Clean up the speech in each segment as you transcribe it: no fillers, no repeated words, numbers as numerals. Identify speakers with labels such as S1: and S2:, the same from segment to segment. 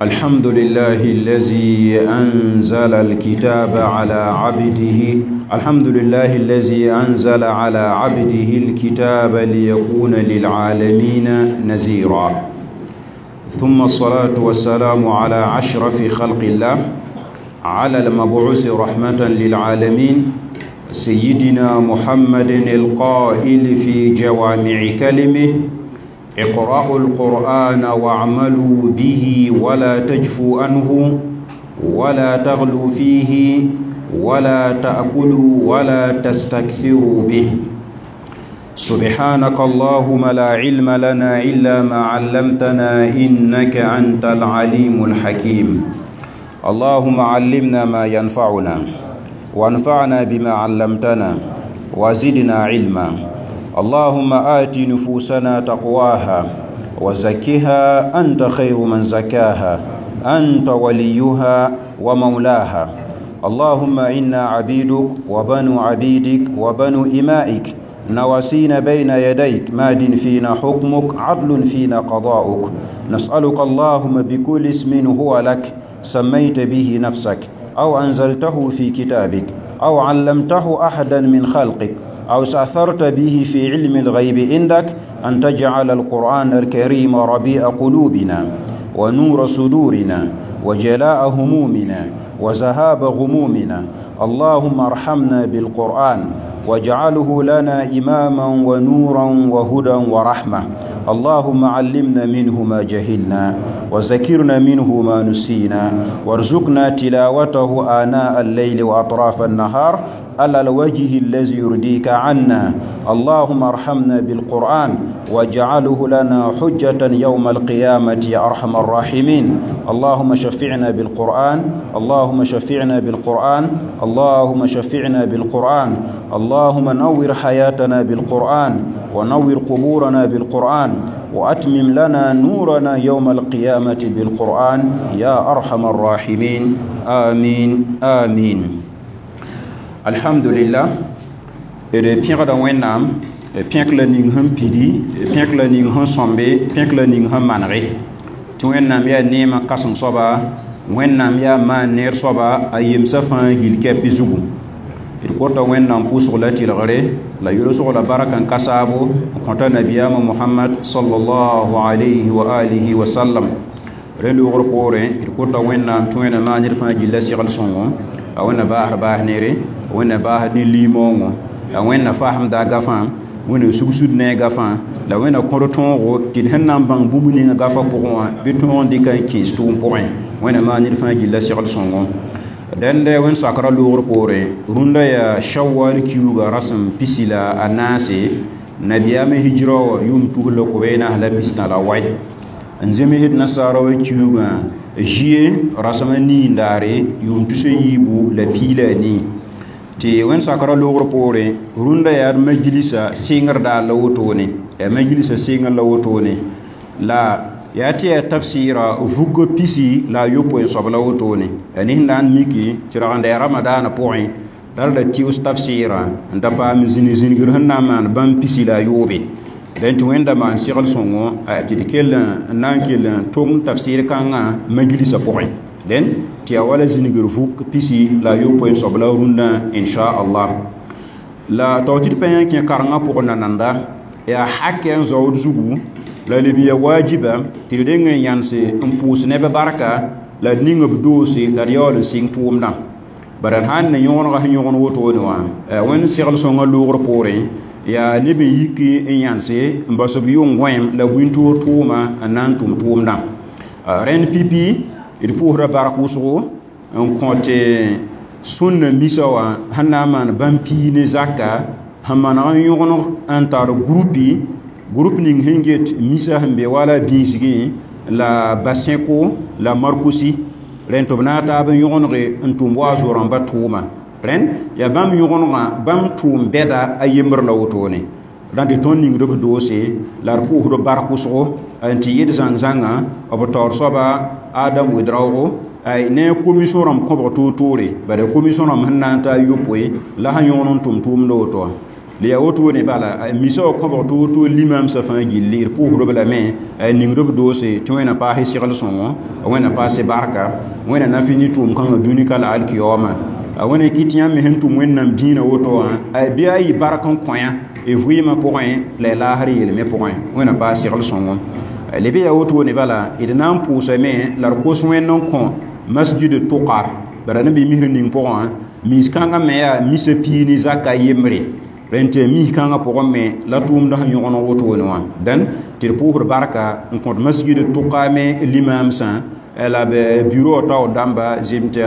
S1: الحمد لله الذي أنزل الكتاب على عبده الحمد لله الذي أنزل على عبده الكتاب ليكون للعالمين نذيرا. ثم الصلاة والسلام على أشرف خلق الله، على المبعوث رحمة للعالمين، سيدنا محمد القائل في جوامع كلمه: اقرأوا القرآن واعملوا به ولا تجفوا عنه ولا تغلوا فيه ولا تأكلوا ولا تستكثروا به. سبحانك اللهم لا علم لنا إلا ما علمتنا إنك أنت العليم الحكيم. اللهم علمنا ما ينفعنا، وانفعنا بما علمتنا، وزدنا علما. اللهم آت نفوسنا تقواها وزكها أنت خير من زكاها، أنت وليها ومولاها. اللهم إنا عبيدك وبنو عبيدك وبنو إمائك، نواسينا بين يديك، ماد فينا حكمك، عدل فينا قضاؤك. نسألك اللهم بكل اسم هو لك سميت به نفسك، أو أنزلته في كتابك، أو علمته أحدا من خلقك، أو استأثرت به في علم الغيب عندك، أن تجعل القرآن الكريم ربيع قلوبنا ونور صدورنا وجلاء همومنا وذهاب غمومنا. اللهم ارحمنا بالقرآن واجعله لنا إماما ونورا وهدى ورحمة. اللهم علمنا منه ما جهلنا، وذكرنا منه ما نسينا، وارزقنا تلاوته آناء الليل وأطراف النهار على الوجه الذي يرضيك عنا. اللهم ارحمنا بالقرآن واجعله لنا حجة يوم القيامة يا أرحم الراحمين. اللهم شفعنا بالقرآن، اللهم شفعنا بالقرآن، اللهم شفعنا بالقرآن. اللهم نور حياتنا بالقرآن، ونور قبورنا بالقرآن، وأتمم لنا نورنا يوم القيامة بالقرآن يا أرحم الراحمين. آمين آمين. الحمد لله. D pẽgda Wẽnnaam, pẽk la ning sẽn pidi, pẽk la ning sẽn sõmbe, pẽk la ning sẽn manege tɩ Wẽnnaam yaa neemã kãseng soaba, Wẽnnaam yaa maan neer soaba a yemsã fãa gil kɛpɩ zugu. D kota Wẽnnaam pʋʋsg la tɩlgre la yʋlsg la barka n ka saabo n kõta nabiyaamã Mohamad sallallahu alayhi wa alihi wa sallam. Rẽ loogr poorẽ d kota Wẽnnaam tɩ Wẽnna maan ned fãa gilla segl sõngo, a Wẽnna baasd baas neere, a Wẽnna baasd ne liimoongo, la Wẽnna fasemda a gafã, Wẽnna sugsud ne a gafã, la Wẽnna kõd tõogo tɩ d sẽn na n bãng bũmb ninga gafã pʋgẽ wã bɩ tõog n dɩka n kẽes tʋʋm pʋgẽ. Wẽnna maan ned fãa gilla segl sõngo. Dẽnde wẽnd sakrã loogr poorẽ rũndã yaa shawal kiuugã rasem 14 nabiyaamã hijra wã yʋʋm 2048 n zemsd nasaara wã kiuugã zie rasem a nii n daare yʋʋm 2014. Tɩ wẽnd sakrã loogr poorẽ rũndã yaa d majlisa sɩngr daar la wotone, yaa majlisa sɩngr la wotone, la yaa tɩ yaa tafsɩɩra vugg 69 soab la wotone. Yaa ned sẽn na n miki tɩ rag n da yaa ramadaanã pʋgẽ la d da tɩʋs tafsɩɩrã n da paam zĩnig-zĩnigr sẽn na n maan bãmb 69. Dẽn tɩ Wẽnda maan segl sõngo tɩ d kell n na n kell n tʋm tafsɩɩr kãngã majlisa pʋgẽ. Dẽn tɩ yaa wala zĩnigr vuk 69 soab la rũndã inchallah. La tao tɩ d pa yã kẽ karengã pʋgẽ nananda yaa hakɛ n zaood zugu la leb ya wajiba tɩ d reng n yãnse n pʋʋs neb barka la d ning b doose la d yaool n sɩng tʋʋmdã. Bara d sãn ne yõgenga sẽn yõgen wotone wã Wẽnd segl sõngã loogr poorẽ yaa neb n yiki n yãnse n bas b yʋng gõem la bũn-toor tʋʋma n na n tʋm tʋʋmdã. Rẽnd pipi d pʋʋsda bark wʋsgo n kõt sũnna misa wã sẽn na n maan bãmb pii ne zaka sẽn maneg n yõgeneg n tar groupi group ning sẽn get misa sẽn be wala bĩisgẽ la basẽko la markusi. Rẽnd tɩ b na n taab n yõgenege n tʋm wa a zo-rãmba tʋʋma. Rẽnd yaa bãmb yõgenegã bãmb tʋʋm bɛda a yembr la wotone. Rãnd tɩ tõnd ningd b doose la d pʋʋsd bark wʋsgo n tɩ yɩd zãng-zãngã b taoor soaba Adam Wedraogo ay ne commission rãmb kõbg toor-toore, bara commission rãmb sẽn na n ta a yopoe la sẽn yõgen n tʋm tʋʋmd woto. La yaa wotone bala misa wa kõbg tɩ woto limamsã fãa gilli d pʋʋsdb lame ningd b doose tɩ wẽna paas segl sõngo, wẽna paas barka, wẽna na fɩ ne tʋʋm kãngã dũni ka la alkiyaooma. A wẽna kɩ tɩ yãmb me sẽn tʋm wẽnnaam dĩinã woto wã bɩ a yɩ bark n kõ yã y vɩɩmã pʋgẽ la y laasr yelme pʋgẽ, wẽna paas segl sõngo. Leb yaa wotone bala d na n pʋʋsame la d kos wẽnd n kõ masjid tʋka bara ne bɩ misr ning pʋgẽ wã mis kãngã me yaa misa pii ne zaka yembre rẽn tɩ mis kãngã pʋgẽ me la tʋʋmd sẽn yõgen wotone wã dẽn tɩ d pʋʋsd barka n kõt masjid tʋka me limaamsã la b bureau taoor dãmba zem tɩ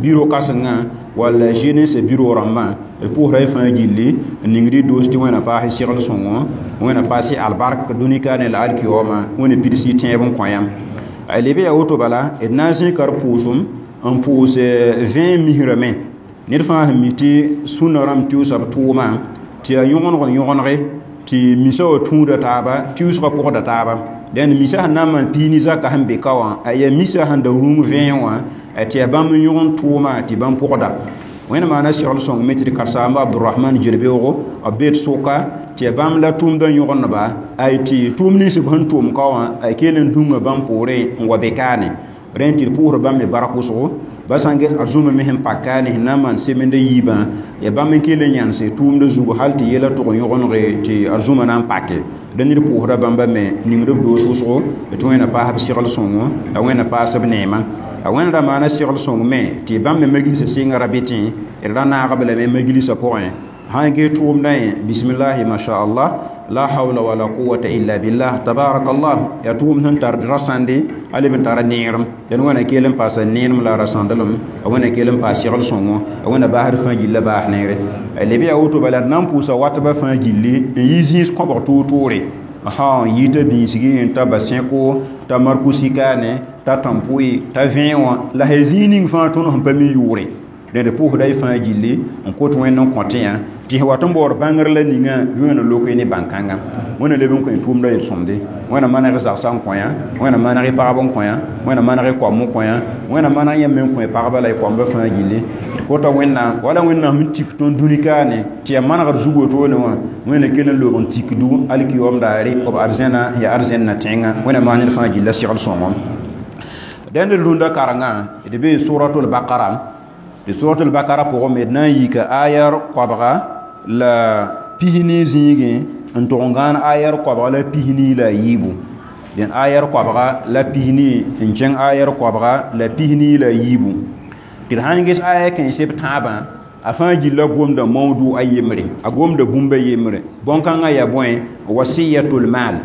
S1: bureau kãsengã walla jeunesse bureau rãmbã d pʋʋsda y fãa gilli n ningd y doos tɩ wẽna paas segl sõngo, wẽna paas albark dũni ka ne la alkiyaooma, wẽna pids y tẽeb n kõ yãmb. Leb yaa woto bala d na n zẽka d pʋʋsem n pʋʋs vẽe misrame ned fãa sẽn mi tɩ sũnã rãmb tɩʋsa b tʋʋmã tɩ yaa yõgeneg n yõgenege tɩ misa wã tũuda taaba tɩʋsgã pʋgda taaba. Dẽnd misa sẽn na n maan pii ne zaka sẽn be ka wã yaa misa sẽn da rũng vẽe wã tɩ yaa bãmb n yõgen tʋʋma tɩ bãmb pʋgda. Wẽnd maana segl sõng me tɩ d karsaamba Abdurahman Jelbeoogo b bee d sʋka tɩ yaa bãmb la tʋʋmdã yõgendba ay tɩ tʋʋm nins b sẽn tʋʋm ka wã a kell n dũnga bãmb poorẽ n wa be kaane. Rẽn tɩ d pʋʋsd bãmb me bark wʋsgo ba sã n get arzũma me sẽn pak kaane sẽn na n maan semenda yiibã yaa bãmb n kell n yãnse tʋʋmdã zugu hal tɩ yɛla tʋg n yõgenege tɩ arzũma na n pake. Dẽ ned pʋʋsda bãmba me ningd b doos wʋsgo tɩ wẽna paas b segl sõngo, a wẽna paas b neema. A wẽnd ra maana segl sõng me tɩ bãmb me majlisa sɩnga ra bɩ tẽ d ra naag b lame majlisa pʋgẽ sãn gee tʋʋmdã yẽ bismillahi mashaallah la hawla wala quwwata illa billah tabarakallah yaa tʋʋmd sẽn tar rasãnde a leb n tara neerem. Dẽn wẽna kell n paasa neerem la rasãndelem, a wẽna kell n paas segl sõngo, a wẽna baasd fãa gilla baas neere. Leb yaa woto bala d na n pʋʋsa watbã fãa gilli n yi zĩis kõbg toor-toore n yɩ t'a biisgi n ta basẽko t'a markusi kaane t'a tãmpoe t'a vẽe wã la sã zĩig ning fãa tõnd sẽn pa mi yʋʋre. Dẽnd pʋʋsda y fãa gilli n kot wẽnd n kõtẽ yã tɩ sẽn wat n baood bãngr la ninga bɩ wẽna loke ne bãn-kãnga. Wẽna leb n kõ tʋʋmdã yel-sõmde, wẽna maneg zagsã n kõ yã, wẽna maneg y pagb n kõ yã, wẽna maneg y koam n kõ yã, wẽna maneg yãmb me n kõ y pagba la y koamba fãa gilli. Tɩ kota wẽnnaam wala wẽnnaam sẽn tik tõnd dũni kaane tɩ yaa manegd zug wotone wã wẽna kell n loog n tikdu alkiyoom daare b arzẽna yaa arzẽnna tẽngã. Wẽna maan ned fãa gilla segl sõngo. Dẽnd d rũndã karengã d bee suratul bakara. Tɩ suratul bakara pʋgẽ me d na n yika ayar koabga la pisni zĩigẽ n tʋg n gãan ayar koabga la pisni la a yiibu. Dẽn ayar koabga la pisni n kẽng ayar koabga la pisni la a yiibu. Tɩ d sãn ges aya kãensb tãabã a fãa gilla gomda mawdu a yembre, a gomda bũmba yembre. Bõn-kãngã yaa bõe wasiyatul maal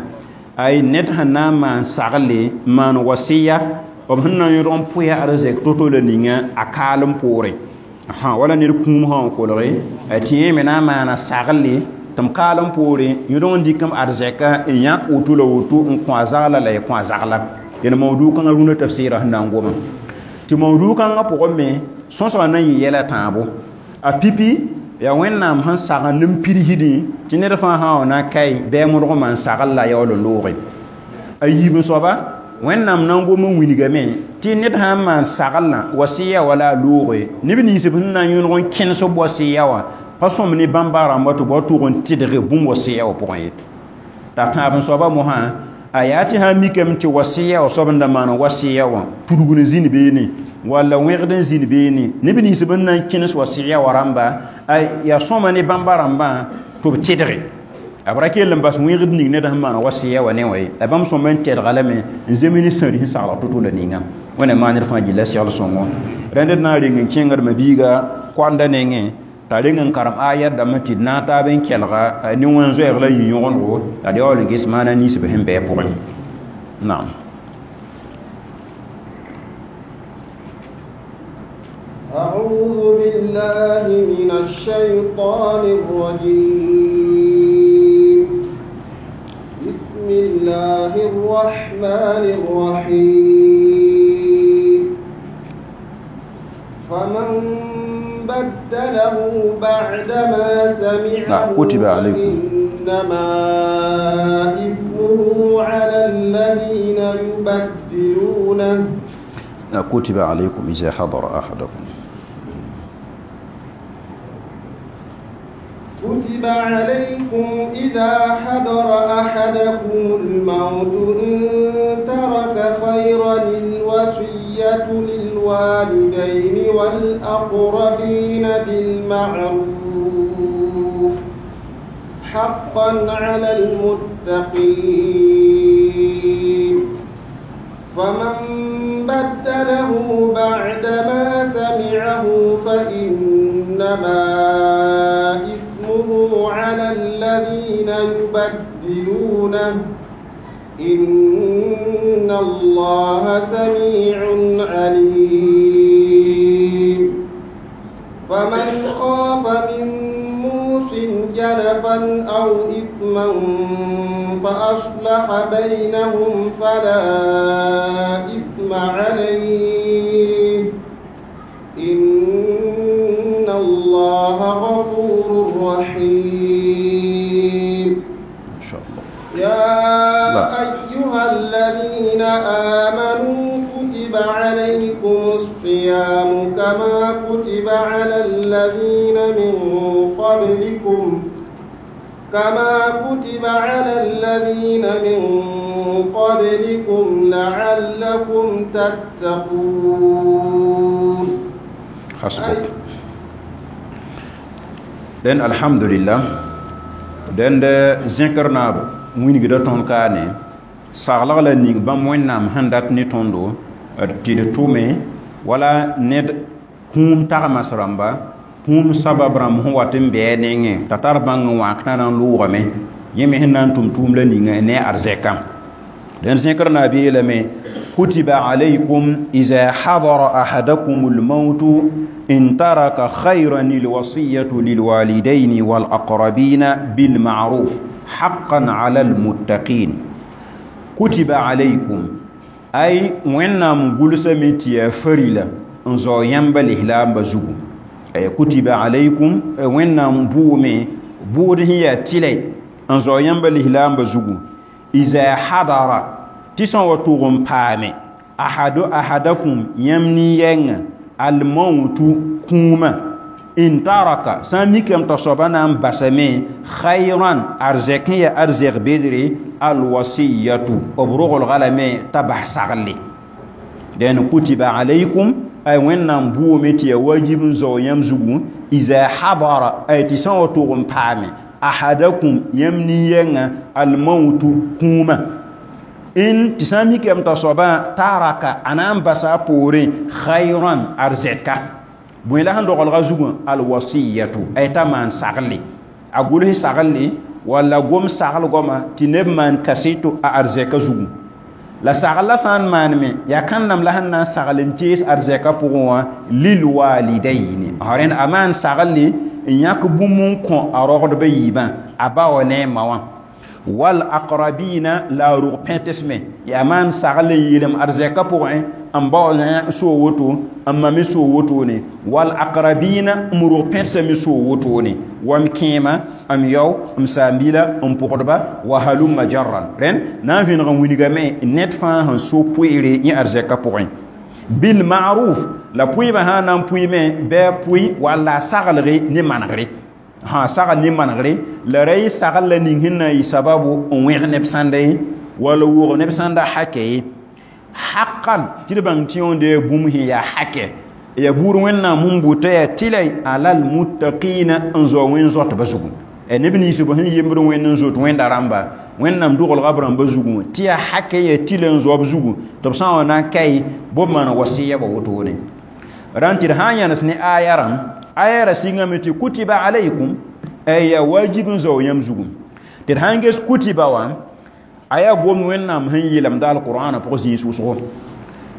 S1: ay ned sẽn na n maan sagle n maan wasiya b sẽn na n yõdg n pʋɩ arzɛk to-to la ninga a kaalem poorẽ. Wala ned kũum sã n kolge tɩ yẽ me na n maana sagle tɩ m kaalem poorẽ yõdg n dɩk m arzɛka n yãk woto la woto n kõ a zagla la y kõ a zagla. Dẽn mawdu kãngã rũndã tafsɩɩrã sẽn na n goma. Tɩ mawdu kãngã pʋgẽ me sõsgã na n yɩ yɛla tãabo. A pipi yaa wẽnnaam sẽn sagend n pidsdẽ tɩ ned fãa sã wa na kae bɩ a modg n maan sagl la yaool n looge. A yiib soaba wẽnnaam na n gom n wilgame tɩ ned sã n maan saglã wasiya wala a looge neb nins b sẽn na n yõdg n kẽnes b wasiya wã pa sõm ne bãmba rãmba tɩ b wa tʋg n tɩdg bũmb wasiya wã pʋgẽ ye. T'a tãab n soaba mosã a yaa tɩ sã n mikame tɩ wasiya wã soab n da maan wasiya wã tudg n zĩnd beene walla wẽgd n zĩnd beene neb nins b sẽn na n kẽnes wasiya wã rãmba yaa sõma ne bãmba rãmbã tɩ b tɩdge. A b ra kell n bas wẽgd ning ned sẽn maan wasiya wã ne wã ye. La bãmb sõma n tɛdga lame n zeme ne sãri sẽn sagl to-to la ninga. Wẽna maan ned fãa gilla segl sõngo. Rẽnd d na n reng n kẽngd mabiiga koanda nengẽ t'a reng n karem ayat dãmbã tɩ d na n taab n kelga ne wẽn zoɛɛg la yɩ yõgenego la d yaool n ges maana nins b sẽn bɩ a pʋgẽ. Naam.
S2: أعوذ بالله من الشيطان الرجيم. بسم الله الرحمن الرحيم. فمن بدله بعدما سمعه
S1: كتب عليكم
S2: إنما إثمه على الذين يبدلونه.
S1: كتب عليكم إذا حضر أحدكم.
S2: كتب كتب عليكم إذا حضر أحدكم الموت إن ترك خيرا الوصية للوالدين والأقربين بالمعروف حقا على المتقين. فمن بدله بعدما سمعه فإنما إثمه على الذين يبدلونه إن الله سميع عليم. فمن خاف من موص جنفا أو إثما فأصلح بينهم فلا إثم عليه إن الله غفور رحيم.
S1: إن شاء الله.
S2: يا أيها الذين آمنوا كتب عليكم الصيام كما كتب على الذين من قبلكم لعلكم تتقون.
S1: حسبك. Den alhamdulillah den de zikr naab wĩnigda tõnd kaane saglg la ning bãmb wẽnnaam sẽn dat ne tõndo tɩ d tʋme wala ned kũum tagmas rãmba kũum sabab rãmb sẽn wat n bɩ a nengẽ t'a tar bãng n wãk t'a na n loogame yẽ me sẽn na n tʋm tʋʋm la ninga ne arzɛkã. Den zẽkr naab yeelame kutiba alaykum iza hadara ahadakum almautu in taraka khayran alwasiyatu lilwalidaini walaqrabina bilma'ruf haqqan ala almuttaqin. Kutiba alaykum ay wẽnnaam gʋlsame tɩ yaa farila n zao yãmba lislaamba zugu. Ay kutiba alaykum wẽnnaam bʋʋme bʋʋd sẽn yaa tɩlɛ n zao yãmba lislaamba zugu. Iza hadara tɩ sã n wa tʋg n paame ahadakum yãmb nin-yɛngã almautu kũumã in taraka sã n mikame t'a soaba na n basame khayran arzɛk sẽn yaa arzɛk bedre alwasiyatu b rogelga lame t'a bas saglle. Dẽn kutiba alaykum ay wẽnnaam bʋʋme tɩ yaa wajib n zao yãmb zugu iza hadara ay tɩ sã n wa tʋg n paame ahadakum yãmb nin-yɛngã almautu kũumã in tɩ sã n mikame t'a soabã taraka a na n basa a poorẽ khayran arzɛka bõe la sẽn dogelga zugã alwasiyatu ay t'a maan saglle a gʋls saglle walla gom sagl goama tɩ neb maan kaseto a arzɛka zugu. La sagl la sã n maaneme yaa kãndame la sẽn na n sagl n tees arzɛka pʋgẽ wã lilwalidaini rẽnd a maan saglle n yãk bũmb n kõ a rogdbã yiibã a ba wã ne a ma wã wal aqrabina la a rug pẽtesme yaa maan sagl n yeelem arzɛka pʋgẽ n bao soo woto n ma me soo wotone wal aqrabina m rug pẽtesã me soo wotone wa m kẽema m yao m saambila n pʋgdba wa halumma jarran rẽnd na n vẽneg n wilgame ned fãa sẽn so poeere yẽ arzɛka pʋgẽ bil ma'ruf la pʋɩɩbã sã n na n pʋɩme bɩ a pʋɩ walla a saglge ne manegre sã sagl ne manegre la ra yɩ sagl la ning sẽn na n yɩ sababu n wẽg neb sãnda ye walla wʋg neb sãnda hakɛ ye haqqan tɩ d bãng tɩ yõonde yaa bũmb sẽn yaa hakɛ ya buud wẽnnaam sẽn bʋta yaa tɩlɛ alal muttaqina n zao wẽn-zoatbã zugu. Neb nins b sẽn yembd wẽnd n zoet wẽnda rãmba wẽnnaam dogelga b rãmba zugu tɩ yaa hakɛ yaa tɩlɛ n zoa b zugu tɩ b sã n wa na n kae b maan wasiya ba wotone. Rãn tɩ d sã n yãnes ne aya rãmb aya ra sɩngame tɩ kutiba alaykum ay yaa wajib n zao yãmb zugu tɩ d sã n ges kutiba wã aya gomd wẽnnaam sẽn yeelemda alqur'ana pʋgẽ zĩis wʋsgo.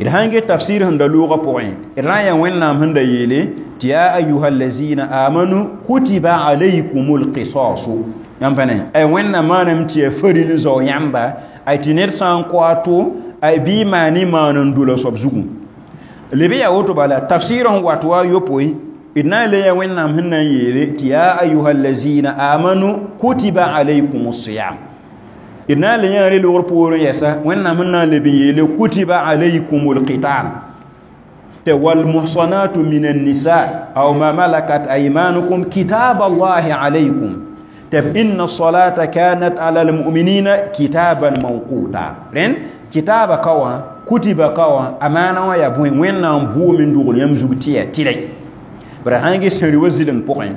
S1: D sãn get tafsir sẽn da loogã pʋgẽ d na n yaa wẽnnaam sẽn da yeele tɩ ya ayuha allazina amanu kutiba alaykum alqisasu yãmb pa ne ay wẽnnaam maaname tɩ yaa faril n zao yãmba ay tɩ ned sã n kõ a to ay bɩ maan y maan n dola soab zugu. Leb yaa woto bala tafsir sẽn wat wa a yopoe d na n le yaa wẽnnaam sẽn na n yeele tɩ ya ayuha allazina amanu kutiba alaykum alsiyam d na n le yã re-logr poorẽ yɛsa wẽnnaam sẽn na n leb n yeele kutiba alaykum alqital tɩ walmuhsanatu min annisa aw ma malakat aymanukum kitab allahi alaykum. Tɩ inna salata kanat ala almuminina kitaban mawquta rẽnd kitaaba ka wã kutiba ka wã a maana wã yaa bõe wẽnnaam bʋʋm n dogl yãmb zug tɩ yaa tɩlɛ bara sãn ges sẽn wa zɩlem pʋgẽ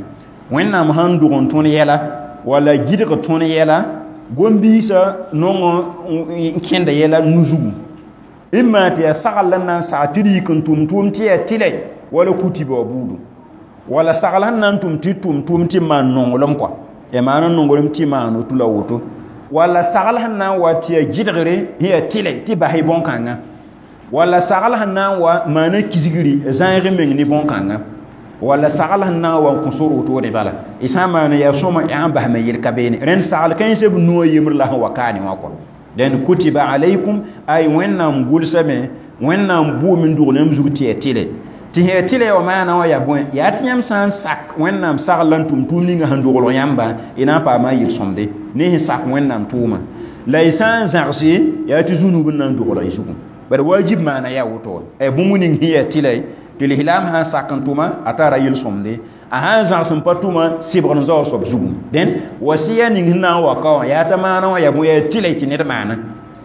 S1: wẽnnaam sãn dog n tõnd yɛla walla gɩdg tõnd yɛla gom-biisã nong n kẽnda yɛla nu-zugu imma tɩ yaa sagl la n na n sag tɩ d yik n tʋm tʋʋm tɩ yaa tɩlɛ wala kutiba wa buudu wala sagl sẽn na n tʋm tɩ tʋm tʋʋm tɩ maan nonglem kɔa ya maan n nonglem tɩ maan woto la woto wala sagl sẽn na n wa tɩ yaa gɩdgre sẽn yaa tɩlɛ tɩ bas y bõn-kãnga wala sagl sẽn na n wa maana kisgri zãeg meng ne bõn-kãnga wala sagl sẽn na n wa n kõ sor wotode bala y sã n maana yaa sõma yaa n basme yel ka beene rẽnd sagl kãensã b nuwã yembr la sẽn wa kaane wã kɔ dẽn kutiba alaykum ay wẽnnaam gʋlsame wẽnnaam bʋʋm n dogl yãmb zug tɩ yaa tɩlɛ tɩ sẽn yaa tɩlɛ wã maana wã yaa bõe yaa tɩ yãmb sã n sak wẽnnaam sagl la n tʋm tʋʋm ninga sẽn dogl yãmba y na n paama yel-sõmde ne sẽn sak wẽnnaam tʋʋma la y sã n zãgse yaa tɩ zũnub n na n dogl y zugu bara wajib maana yaa woto ay bũmb ning sẽn yaa tɩlɛ tɩ lislaam sã n sak n tʋma a tara yel-sõmde a sã n zãgs n pa tʋma sɩbgr n zao soab zugu dẽn wasiya ning sẽn na n wa ka wã yaa t'a maana wã yaa bõe yaa tɩlɛ tɩ ned maana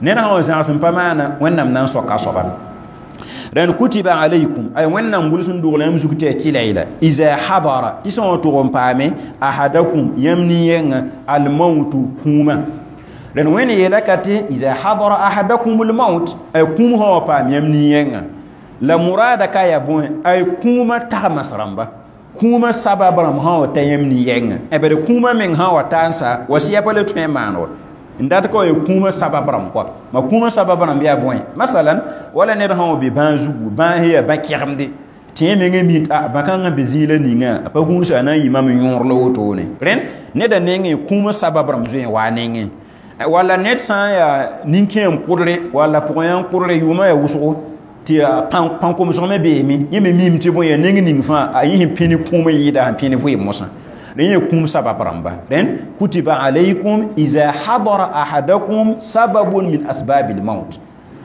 S1: ned sã wa zãgs n pa maana wẽnnaam na n soaka soaba rẽnd kutiba alaykum ay wẽnnaam gʋls n dogl yãmb zug tɩ yaa tɩlɛ la iza hadara tɩ sã wã tʋg n paame ahadakum yãmb nin-yɛngã almautu kũumã rẽnd wẽnd yeela ka tɩ iza hadara ahadakum almaut ay kũum sã wa paam yãmb nin-yɛngã la murada ka yaa bõe ay kũumã tagmas rãmba kũumã sabab rãmb sã wa ta yãmb nin-yɛngã bad kũumã meng sã wa ta n sa wasiya pa le tõe n maan wa n dat ka wa yaa kũumã sabab rãmb kɔa ma kũumã sabab rãmb yaa bõe masalan wala ned sã wa be bãag zugu bãag sẽn yaa bã-kɛgemde tɩ yẽ mengã mi t'a bã-kãngã be zĩig la ninga a pa gũusa a na n yɩ mam yõor la wotone rẽnd neda nengẽ kũumã sabab rãmb zoe n waa nengẽ walla ned sã n yaa nin-kẽem kʋdre walla pʋgẽ kʋdre yʋʋmã yaa wʋsgo tɩ pãn-komsg me beeme yẽ me miime tɩ bõe yaa neng ning fãa a yẽ sẽn pĩni kũum n yɩɩda sẽn pĩni vɩɩm mosã rẽ yẽ kũum sabab rãmba rẽnd kutiba alaykum iza hadara ahadakum sababun min asbabi lmaut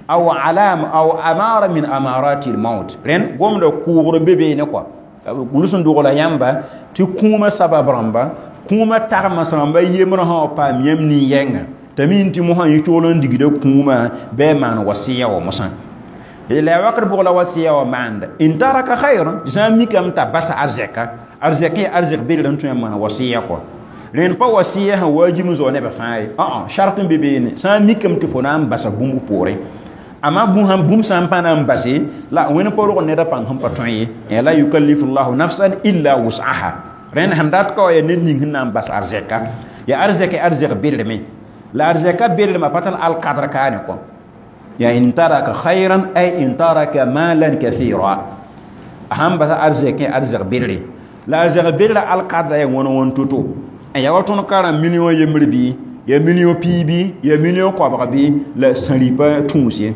S1: aw alama aw amara min amarati lmaut rẽnd gomda kʋʋgr be beene kɔa gʋls n dogla yãmba tɩ kũumã sabab rãmba kũumã tagms rãmba yembrã sã wa paam yãmb nin-yɛngã t'a min tɩ mosã yẽ togl n digda kũumã bɩ a maan wasiya wa mosã la wakat pʋg la wasiya wa maanda in taraka khayran tɩ sã n mikame t'a basa arzɛka arzɛk yaa arzɛk belr n tõe n maan wasiya kɔ rẽnd pa wasiya sẽn waajib n zao nebã fãa ye ã shart n be beene sã n mikame tɩ fo na n basa bũmb poorẽ amma bũmb sã n pa na n base la wẽnd pa rog ned a pãng sẽn pa tõe ye la yukallifu llahu nafsan illa wus'aha rẽnd sẽn dat ka wa yaa ned ning sẽn na n bas arzɛka yaa arzɛk arzɛk belrme la arzɛka belrmã pa tar alkadr kaane kɔ ya in taraka khayran ay in taraka malan kathira aham basa arzɛk arzɛk belre la arzɛk belra alkadra ya wõn wõn toto ya wa tõnd karã million yembr bɩ ya million pii bɩ ya million koabg bɩ la sã-rɩpa tũus ye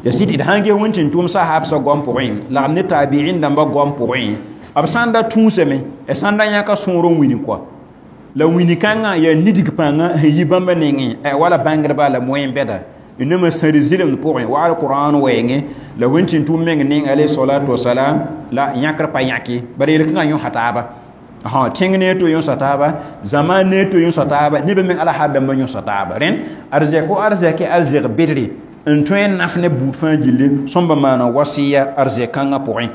S1: ya sɩd d sãn ges wẽn tʋʋm sahabsã goam pʋgẽ lagm ne taabiin dãmbã goam pʋgẽ b sã n da tũusame sã n da yãka sõor n wini kɔa la wini kãngã yaa nidg pãnga sẽn yi bãmba nengẽ wala bãngdba la moyen bɛda nama sãri zɩlemd pʋgẽ wa alqur'an wɛɛngẽ la wẽn tɩ tʋʋm meng neng alayhi salatu wasalam la yãkr pa yãke bara yel-kãngã yõsa taaba tẽng ne to yõsa taaba zãma ne to yõsa taaba nebã meng ala har dãmbã yõsa taaba rẽnd arzɛk o arzɛk arzɛk bedre n tõe n naf ne buud fãa gilli sõmba maana wasiya arzɛk kãngã pʋgẽ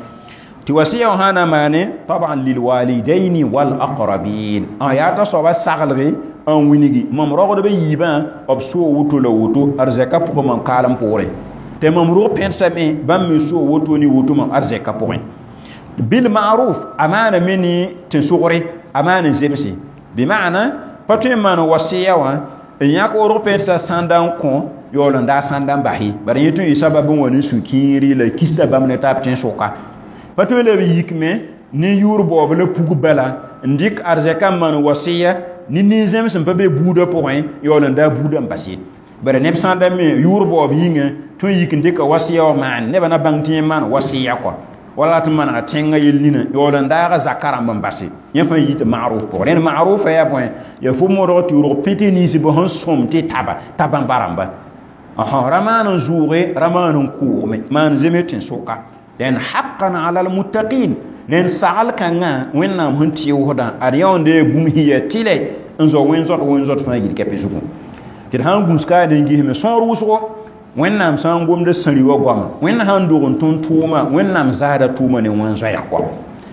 S1: tɩ wasiya wã sã na maane taban lilwalidaini walaqrabin yaa t'a soaba saglge n winigi mam rogdbã yiibã b soo woto la woto arzɛka pʋgẽ mam kaalem poorẽ tɩ mam rog pẽdsame bãmb me soo woto ne woto mam arzɛka pʋgẽ bil ma'ruf a maana me ne tẽn-sogre a maan n zemse bɩ maana pa tõe n maan wasiya wã n yãk rog pẽdsa sãnda n kõ yaool n daa sãnda n bas ye bara yẽ tõe n yɩ sabab n wa ne sũ-kiiri la kista bãmb ne taab tẽn-sʋka pa tõe la b yikme ne yʋʋr baoob la pug bala n dɩk arzɛka n maan wasiya ne nin-zẽms sẽn pa be buudã pʋgẽ yaool n daa buudã n bas ye bara neb sã n da me yʋʋr baoob yĩnga tõe n yik n dɩka wasiya wã maan nebã na bãng tɩ yẽ maan wasiya kɔa wala tɩ manega tẽngã yel nina yaool n daaga zaka rãmb n base yẽ fãa yɩ tɩ ma'ruf pʋgẽ rẽnd ma'rufa yaa bõe yaa fo modg tɩ rog pẽte ninsbã sẽn sõm tɩ taba t'a bãmba rãmba ra maan n zʋʋge ra maan n kʋʋgme maan zeme tẽn-sʋka rẽnd haqqan ala almuttaqin rẽnd sagl kãngã wẽnnaam sẽn tɩʋsdã ad yaoonde yaa bũmb sẽn yaa tɩlɛ N zao wẽn-zõt fãa yil kɛpɩ zugu tɩ d sã n gũus kaane n gisme sõor wʋsgo Wẽnnaam sã n gomda sãri wa goama Wẽnd sã n dog n tõnd tʋʋma Wẽnnaam zaasda tʋʋma ne wẽn-zoɛɛg goam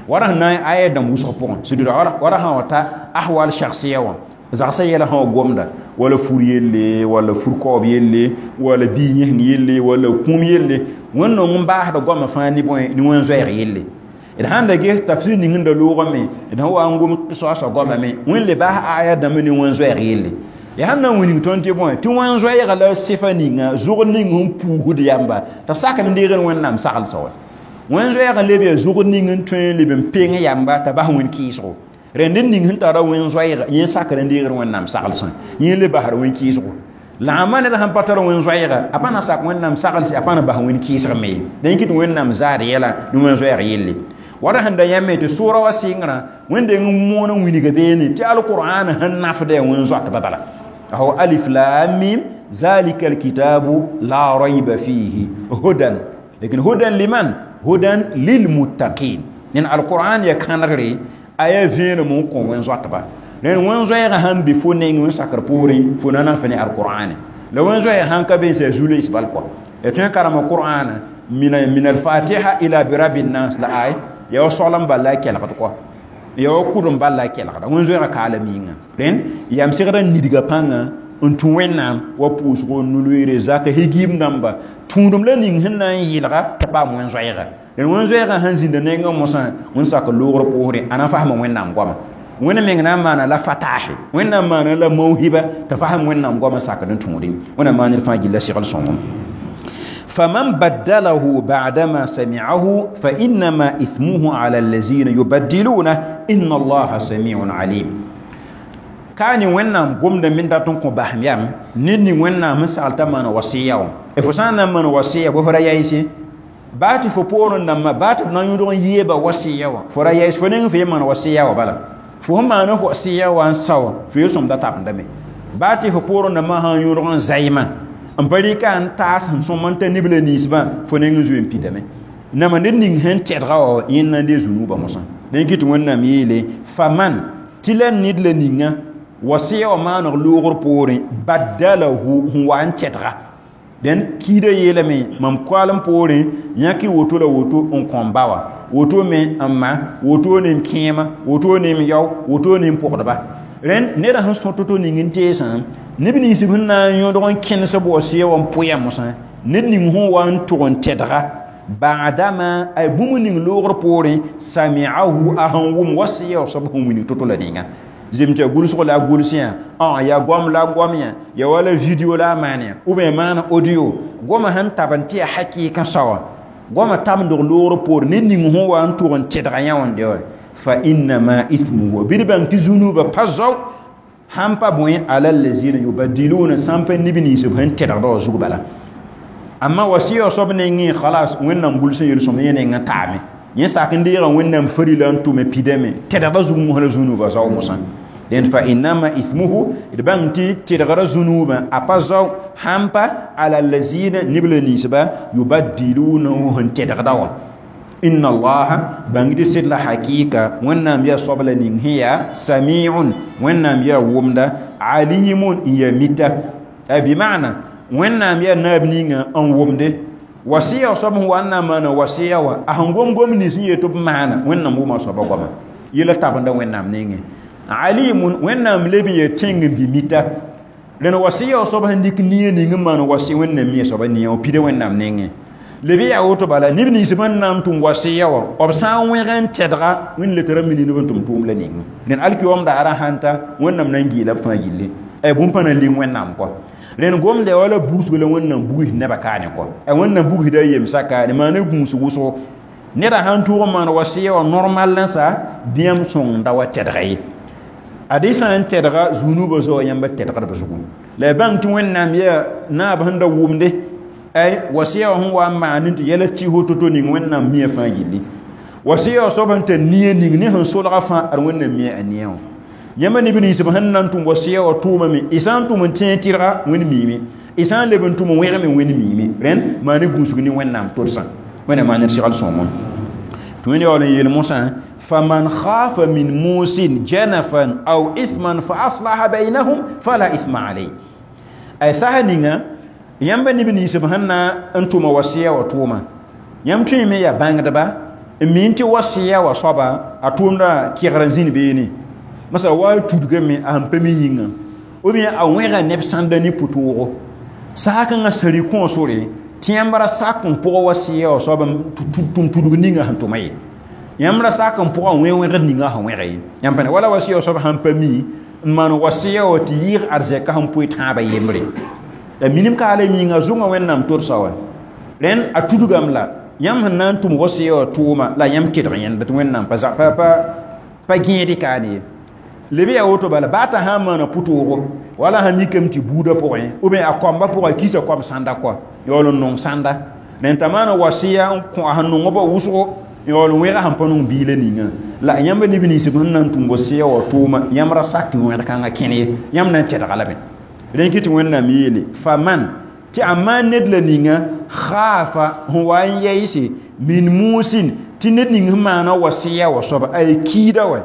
S1: wala sẽn na n aya dãmb wʋsg pʋgẽ sɩd wala sã wa ta ahwal shakhsiya wã zagsã yɛla sã wa gomda wala fur yelle wala fur kaoob yelle wala bii yẽseng yelle wala kũum yelle Wẽnd nong n baasda goamã fãa ne bõe ne wẽn-zoɛɛg yelle d sãn da ges tafsir ning n da loogame d sẽn wa n gom soasã goamame Wẽnd le baas aya dãmba ne wẽn-zoɛɛg yelle ya sãn na n wilg tõnd tɩ bõe tɩ wẽn-zoɛɛga la sɩfa ninga zʋgd ning sẽn puusd yamba t'a sak n deegd Wẽnnaam saglsã wa wẽn-zoɛɛg leb yaa zʋgd ning n tõe n leb n peng yamba t'a bas wẽn-kɩɩsgo rẽnd n ning sẽn tara wẽn-zoɛɛga yẽ sakr n deegd Wẽnnaam saglsã yẽ le basd wẽn-kɩɩsgo la a ned sãn pa tar wẽn-zoɛɛga a pa na sak Wẽnnaam saglse a pa na bas wẽn-kɩɩsg me ye dẽn kɩt Wẽnnaam zaad yɛla ne wẽn-zoɛɛg yelle wala sẽn da yãme tɩ sʋʋra wa sɩngrã Wẽnd deng n moon n wilga beene tɩ alqur'an sẽn nafda yaa wẽn-zoatba bala هو ألف لام ميم ذلك الكتاب لا ريب فيه هدى لكن هدى لمن؟ هدى للمتقين لأن القرآن يكنغري آية فين ممكن وين زواتبا لأن وين زويغ هم بفونين وين سكر بوري فنانا فني القرآن لو وين زويغ هم كبين سيزولي إسبال كوا يتون كرم القرآن من الفاتحة إلى برب الناس لا آية يا سلام بالله كلا كوا ya kudum balla kelgda wẽn zoɛɛgã kaala miĩngã rẽnd yam segda n nidga pãnga n tũ Wẽnnaam wa pʋʋsgo nu-loeere zaka higim dãmba tũudum la ning sẽn na n yɩlga t'a paam wẽn-zoɛɛga rẽnd wẽn-zoɛɛgã sẽn zĩnda nengã mosã wẽn sak loogr pʋʋsre a na fasma Wẽnnaam goama Wẽnd meng na n maana la fataase Wẽnnaam maana la mawhiba t'a fasem Wẽnnaam goamã sakd n tũudẽ Wẽnnaam maan ned fãa gilla segl sõngem فمن بدله بعدما سمعه فإنما إثمه على الذين يبدلونه إن الله سميع عليم كان وينام قمنا من داتون كو بهم يام نيني وينام مسالتا من وصيه افسانا من وصيه بفرا يايسي باتي فبورن نما باتي نان يدون ييبا وصيه فرا يايس فنين في من وصيه بلا فهم انا وصيه وان ساو في سوم داتا دمي باتي فبورن نما هان يدون زايما n pa rɩka n taas sẽn sõm n ta nibla ninsbã fo neng n zoe n pidame nama ned ning sẽn tɛdga wa yẽnd na n dee zunuubã mosã dẽn kɩ tɩ Wẽnnaam yeele faman tɩ la ned la ninga wasɩya wã maaneg loogr poorẽ baddalahu sẽn wa n tɛdga dẽn kiidã yeelame mam koalem poorẽ yãk woto la woto n kõ ba wã woto me n ma woto ne n kẽema woto ne n yao woto ne n pʋgdba rẽnd neda sẽn sõ to-to ning n teesã neb nins sẽn na n yõdg n kẽnes b wasɩya wã n pʋya mosã ned ning sẽn wa n tʋg n tɛdga ba'dama ay bũmb ning loogr poorẽ sami'ahu a sẽn wʋm wasɩya wã soab sẽn wilg to-to la ninga zem tɩ ya gʋlsg la a gʋls yã yaa goam la goam yã ya wala video la a maan yã ou bien maan audio goamã sẽn tab n tɩ ya hakɩɩkã saoã goamã tabndg loogr poorẽ ned ning sẽn wa n tʋg n tɛdga yã wã n dɩ wa فإنما إثمه بيربان تزونو بازو hampa bõe ala allazina yubaddiluna sãn pa neb nins b sẽn tɛdgda wã zug bala amma wasiya soab nengẽ khalas Wẽnnaam gʋls n yel-sõm yẽ nengã taame yẽ sak n deega Wẽnnaam farila n tʋme pidame tɛdgda zug mosã la zũnubã zao mosã dẽnd fa innama ithmuhu d bãng tɩ tɛdgra zũnubã a pa zao hampa ala allazina neb la ninsba yubaddilunahu sẽn tɛdgda wã إن الله بانجدي سيد لا حقيقة وإنام يا صبل نينهيا سميع وإنام يا ومدا عليم يا ميتا بمعنى وإنام يا ناب نينغا أن ومدي وصية صب هو أن من وصية أهنغوم غوم نيسي يتوب معنا وإنام وما صب غوما يلا تابندا وإنام نينغ عليم وإنام لبي يتينغ بميتا لأن وصية صب هنديك نية نينغ من وصية وإنام يا صب نية وبيد وإنام نينغ leb yaa woto bala neb nins bãn na n tʋm wasɩya wã b sã n wẽg n tɛdga Wẽnd le tɩ ra mini neb n tʋm tʋʋm la ning rẽnd alkiyoom daara sãn ta Wẽnnaam na n geela b fãa gilli bũmb pã na n ling Wẽnnaam kɔ rẽnd gomda wala buusg la Wẽnnaam bugsd nebã kaane kɔ Wẽnnaam bugsda a yemsã kaane maana gũus wʋsgo neda sãn tʋg n maan wasɩya wã normal n sa bĩyam sõng da wa tɛdga ye ad sã n tɛdga zũnubã zoa yãmba tɛdgdb zugu la ya bãng tɩ Wẽnnaam yaa naab sẽn da wʋmde ay wasiya sẽn wa n maan tɩ yɛla tɩ to-to ning Wẽnnaam mia fãa gilli wasiya soab sẽn tar nia ning ne sẽn solga fãa ad Wẽnnaam mia a nia wã yãmba neb nins b sẽn na n tʋm wasiya wã tʋʋmame y sã n tʋm n tẽeg tɩrga Wẽnd miime y sã n leb n tʋm n wẽgme Wẽnd miime rẽnd maan ne gũusg ne Wẽnnaam todsã Wẽnnaam maan ned segl sõngem tɩ Wẽnd yaool n yeel mosã Faman khafa min musin janafan aw ithman fa aslaha bainahum fala ithma alayhi. Ay saha ninga yãmb neb nins b sẽn na n tʋma wasiya wã tʋʋma yãmb tõe me yaa bãngdba n mi tɩ wasiya wã soaba a tʋʋmda kegr n zĩnd beene masala wa tudgame a sẽn pa mi yĩnga ou bien a wẽga neb sãnda ne pʋtoogo sã kãngã sari kõosore tɩ yãmb ra sak n pʋgã wasiya wã soab tʋm tudg ninga sẽn tʋma ye yãmb ra sak n pʋgã wẽ wẽgd ninga sẽn wẽga ye yãmb pa ne wala wasiya wã soab sãn pa mi n maan wasiya wã tɩ yɩɩg arzɛka sẽn pʋɩ tãabã yembre la minim ka ala yĩnga zʋngã wẽnnaam todsa wa rẽnd a tudgame la yãmb sẽn na n tʋm wasiya wã tʋʋma la yãmb kedg yẽnda tɩ wẽnnaam pa gẽed kaane ye leb yaa woto bala baa t'a sã n maana pʋtoogo wala sã mikame tɩ buudã pʋgẽ ou bien a koamba pʋgã a kisa koam sãnda kɔa yaool n nong sãnda rẽnd t'a maana wasiya n kõ a sẽn nongba wʋsgo yaool n wẽga sẽn pa nong biilã ninga la yãmb neb nins b sẽn na n tʋm wasiya wã tʋʋma yãmb ra sak tɩ wẽgd kãngã kẽne ye yãmb na n tẽdga lame rẽn kɩ tɩ wẽnnaam yeele faman tɩ a maan ned la ninga khaafa sẽn wa n yɛɛse min muusin tɩ ned ning sẽn maana wasiya wã soaba a ye kiida wa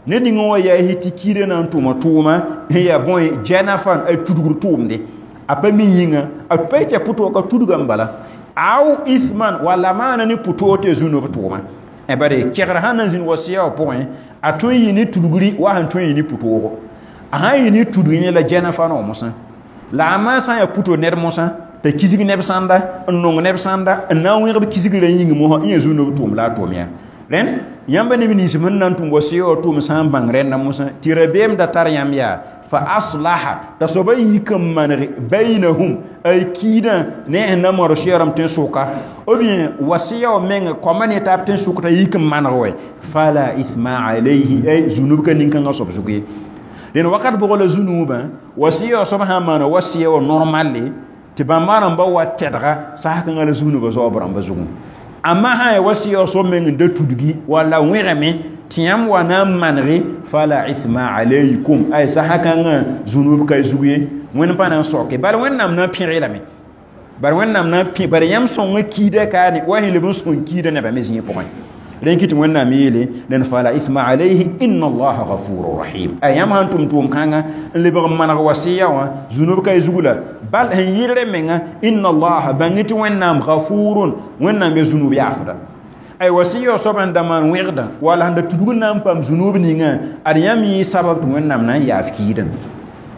S1: ned ning wã yaasi tɩ kiidã na n tʋma tʋʋma n yaa bõe janafan a tudgr tʋʋmde a pa mi yĩnga a pa tɩ a pʋtʋg ka tudgame bala aw ithman walla maana ne pʋtoog tɩ a zũnob tʋʋma bare kegr sãn na n zĩnd wasiya wã pʋgẽ a tõe n yɩ ne tudgri wa sẽn tõe n yɩ ne pʋtoogo a sãn yɩ ne tudg yẽ la janafan wã mosã la a maan sã n yaa pʋto ned mosã t'a kisg neb sãnda n nong neb sãnda n na n wẽgb kisgrã yĩng mosã n yaa zũnob tʋʋm la a tʋʋm yaa rẽnd yãmb neb nins sẽn na n tʋm wasiya wã tʋʋm sã n bãng rẽnda mosã tɩ rabeem da tar yãmb yaa fa aslaha t'a soaba yik n maneg bainahum ay kiidã ne sẽn na modg sɛɛrem tẽn-sʋka ou bien wasiya wã menga koamba ne taab tẽn-sʋk t'a yik n maneg wɛ fala ithma alayhi ay zũnub ka nin-kãngã soab zug ye dẽn wakat bʋg la zũnuubã wasiya wã soab sã n maana wasiya wã normalle tɩ bãmba rãmba wa tɛdga sas-kãngã la zũnubã zaoob rãmba zugẽ amma sã ya wasiya wã soab meng n da tudgi walla wẽgame tɩ yãmb wa na n manege fala ithma alaykum ay sasa-kãngã zũnub ka zug ye wẽnd pa na n soke bala wẽnnaam na n pẽge lame bara wẽnnaam na n pẽ bara yãmb sõngã kiida kaane wa sẽn leb n sõng kiidã nebã me zĩig pʋgẽ rẽn kɩ tɩ wẽnnaam yeele dẽn fala ithma alayhi inna allaha ghafurun rahim a yãmb sãn tʋm tʋʋm-kãngã n lebg n maneg wasiya wã zũnub ka y zug la bal sẽn yɩlre menga inna allaha bãng tɩ wẽnnaam ghafurun wẽnnaam ya zũnub yaafda ay wasiya soab sẽn da maan wẽgda wala sẽn da tudg n na n paam zũnub ninga ad yãmb yɩ sabab tɩ wẽnnaam na n yaaf kiidã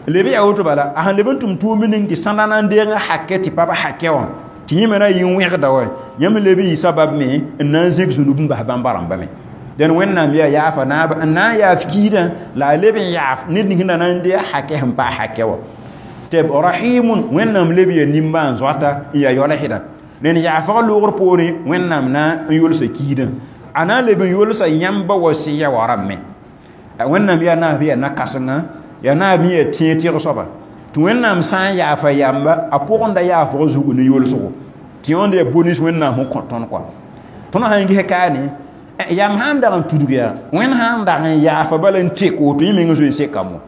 S1: leb yaa woto bala a sẽn leb n tʋm tʋʋm ning tɩ sãnda na n deeg n hakɛ tɩ pa b hakɛ wã tɩ yẽ me na yɩ n wẽgda wa yãmb leb n yɩ sabab me n na n zẽk zũnub n bas bãmba rãmba me dẽn wẽnnaam yaa yaafa naaba n na n yaaf kiidã la a leb n yaaf ned ning sẽn da na n deeg hakɛ sẽn pa hakɛ wã tɩ rahimun wẽnnaam leb yaa nimbãan zoata n yaa yaoolsda rẽnd yaafg loogr poorẽ wẽnnaam na n yolsa kiidã a na n leb n yolsa yãmba wasiya wã rãmbme wẽnnaam yaa naab yaa na-kãsenga yaa naab yaa tẽeg tɩg soaba tɩ wẽnnaam sã n yaafa yamba a pʋgẽ da yaafg zug ne yolsgo tɩ yõnd yaa bonus wẽnnaam sẽn kõ tõnd kɔa tõnd sã n ges kaane yam sã n dag n tudg yaa wẽnd sã n dag n yaafa bala n tek woto yẽ meng zoe n sekame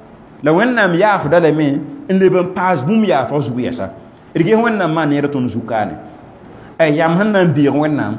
S1: la wẽnnaam yaafda lame n leb n paas bũmb yaafg zug yɛsa d ges wẽnnaam maan neer tõnd zug kaane ay yam sẽn na n beeg wẽnnaam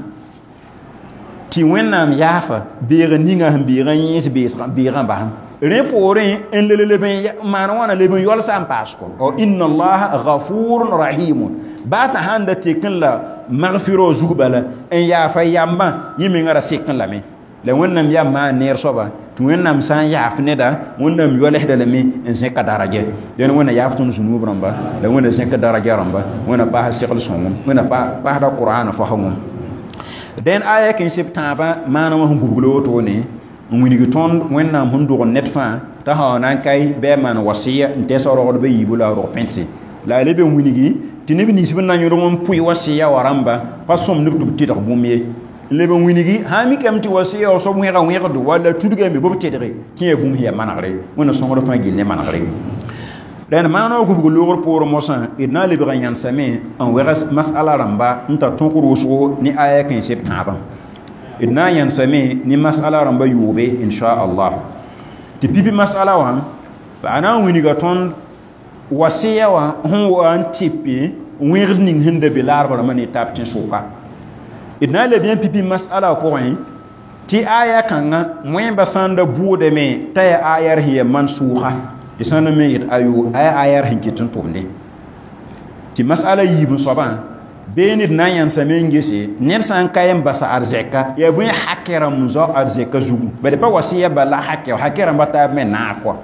S1: tɩ wẽnnaam yaafa beeg ninga sẽn beeg n yẽes beegã basem rẽ poorẽ n le leb n maan wãna leb n yolsa n paas kɔ inna allaha ghafurun rahimun baa t'a sãn da tek n la magfiro zug bala n yaafa yambã yẽ mengã ra sek n lame la wẽnnaam yaa maan neer soaba tɩ wẽnnaam sã n yaaf neda wẽnnaam yoalsda lame n zẽka daraja dẽn wẽnna yaaf tõnd zũnub rãmba la wẽnna zẽka daraja rãmba wẽnna paas segl sõngem wẽnna paasda qur'an fasgem dẽn aya kẽ seb tãabã maana wã sẽn gubgl wotone n wilg tõnd wẽnnaam sẽn dog ned fãa t'a sã na n kae bɩ a maan wasiya n tɛs rogdbã yiibu la a rog pẽntse la a leb n wilgi tɩ neb nins b na n yõdg n pʋɩ wasiya wã rãmba pa sõmdb tɩ b tɩdg bũmb ye leb n wilgi sã n mikame tɩ wasiya wã soab wẽga wẽgdo walla tudgame bɩ b tedge tɩ yaa bũmb sẽn yaa manegre wẽnna sõngd fãa gill ne manegre rẽnd maana wã gubg loogr poorẽ mosã d na n lebg n yãnsame n wɛg masala rãmba n tar tõk rʋʋsgo ne aya kẽ seb tãabã d na n yãnsame ne masala rãmba yʋʋbe inchallah tɩ pipi masala wã a na n wilga tõnd wasiya wã sẽn wa n tɩpe wẽgd ning sẽn da be laarb rãmbã ne taab tẽn-sʋka d na n leb yã pipi masala pʋgẽ Tɩ aya kãngã wẽmba sãn da bʋʋdame t'a yaa ayar sẽn yaa mansuuga tɩ sãn n me yet ayo a yaa ayar sẽn ket n tʋmde tɩ masala yiib n soabã bee ned na n yãnsame n gese ned sã n ka n basa arzɛka yaa bõe hakɛ rãmb n zao arzɛka zugu bad pa wasiya bal la hakɛ hakɛ rãmba taab me naag kɔa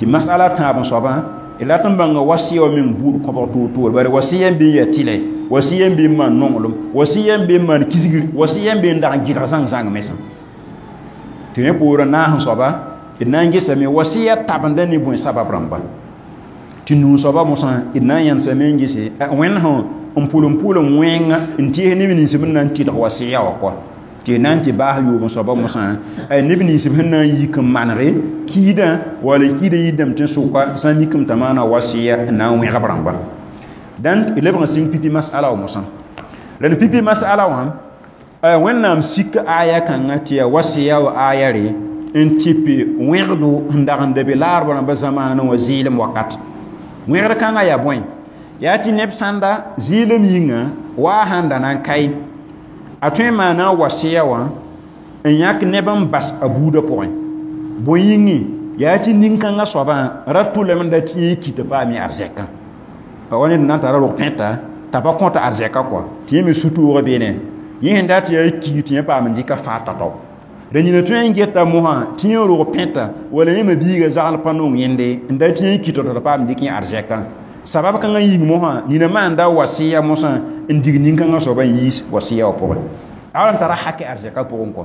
S1: tɩ masala tãab n soabã d rat n bãnga wasiya wã meng buud kõbg toor-toor bare wasiya n be n yaa tɩlɛ wasiya n be n maan nonglem wasiya n be n maan kisgr wasiya n be n dag n gɩdg zãng-zãng mesã tɩ rẽ poorã naas n soaba d na n gesame wasiya tabenda ne bõe sabab rãmba tɩ nuu soaba mosã d na n yãnsame n gese wẽnd sẽn n pʋlem wẽnga n tɩs neb nins b na n tɩlg wasiya wã kɔa tɩ na n tɩ baas yoob n soaba mosã neb nins b sẽn na n yik n manege kiidã wala kiidã yidame tɩ sʋka sã n mikame t'a maana wasiya n na n wẽgb rãmba dãn d lebg n sɩng pipi masala wã mosã la d pipi masala wã wẽnnaam sik aya kãngã tɩ yaa wasiya wa aya re n tɩ wẽgdo sẽn dag n da be laarb rãmba zamaanẽ wã zɩɩlem wakat wẽgd kãngã yaa bõe yaa tɩ neb sãnda zɩɩlem yĩnga waa sãn da na n kae a tõe n maana wasiya wã n yãk neb n bas a buudã pʋgẽ bõe yĩngẽ yaa tɩ nin-kãngã soabã ra tʋlame n da tɩ yẽ kɩ t'a paam arzɛkã wa ned na n tara rog pẽta t'a pa kõta arzɛka kɔa tɩ yẽ me su-toogã beene yẽ sẽn dat yaa kiig tɩ yẽ paam n dɩka faa tao-tao ra nina tõe n geta mosã tɩ yẽ rog pẽta wala yẽ me biiga zagl pa nong yẽnde n da tɩ yẽ kɩ tao t'a paam dɩk yẽ arzɛkã sabab kãngã yĩng mosã nina maanda wasiya mosã n dig nin-kãngã soabã n yiis wasiya wã pʋgẽ a wala n tara hakɛ arzɛka pʋgẽ kɔ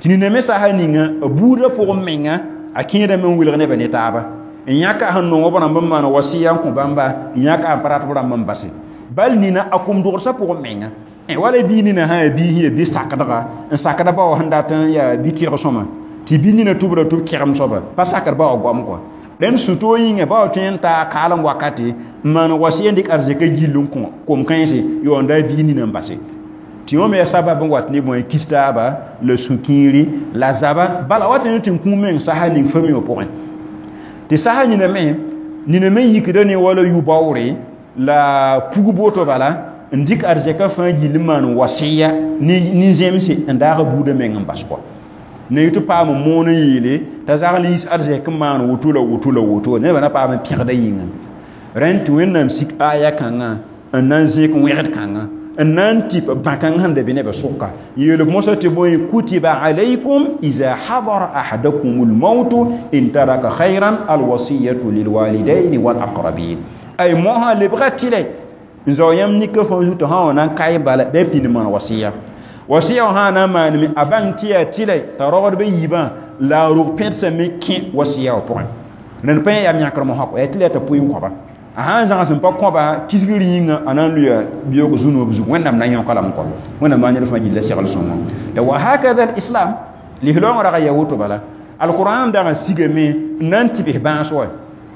S1: tɩ nina me sasa ninga a buudã pʋgẽ menga a kẽedame n wilg nebã ne taaba n yãka sẽn nong b rãmb n maan wasiya n kõ bãmba n yãka n pa rat b rãmb n base bal nina a kom dogsã pʋgẽ menga wala bii nina sã yaa bii sẽn yaa bi sakdga n sakda ba wã sẽn dat n yaa bi tɩrg sõma tɩ bi nina tʋbra tʋb kɛgem soaba pa sakd ba wã goam kɔa rẽnd sũ-toog yĩnga ba wa tõe n taa kaalem wakate n maan wasiya n dɩk arzɛka gill n kõ kom-kãense yaoonda a bii nina n base tɩ yõ me yaa sabab n wat ne bõe kis taaba la sũ-kĩiri la zaba bala wat ne tɩ n kũum meng sasa ning fami wã pʋgẽ tɩ sasa nina me yikda ne wala yu-baoore la pug boto bala n dɩk arzɛka fãa gill n maan wasiya nin-zẽmse n daag a buudã meng n bas kɔa na yetɩ paam n moon n yeele t'a zagl yiis arzɛk n maan woto la woto la woto nebã na paam n pẽgda yĩnga rẽnd tɩ wẽnnaam sik aya kãngã n na n zẽk wẽgd kãngã n na n tɩp bã-kãng sẽn da be nebã sʋka yeelb mosã tɩ bõe kutiba alaykum iza hadara ahadakum lmautu in taraka khayran alwasiyatu lilwalidaini walaqrabin ay mosã lebga tɩlɛ n zao yãmb nika fãa zutã sã wa na n kae bala bɩ a pĩnd maan wasiya wasiya wã sã na n maaneme a bãng tɩ yaa tɩlɛ t'a rogdbã yiibã la a rog pẽdsame kẽ wasiya wã pʋgẽ rẽnd pa yẽ yaa yãkr mosã kɔ yaa tɩlɛ t'a pʋɩ n kõba a sã n zãgs n pa kõba kisgr yĩnga a na n lʋya biyoog zu-noob zug wẽnnaam na yõka lame kɔ wẽnnaam maa ned fãa gilla segl sõngo la wa hakada alislam lislaoongã rag n yaa woto bala alqur'an dag n sigame n na n tɩ bs bãas wa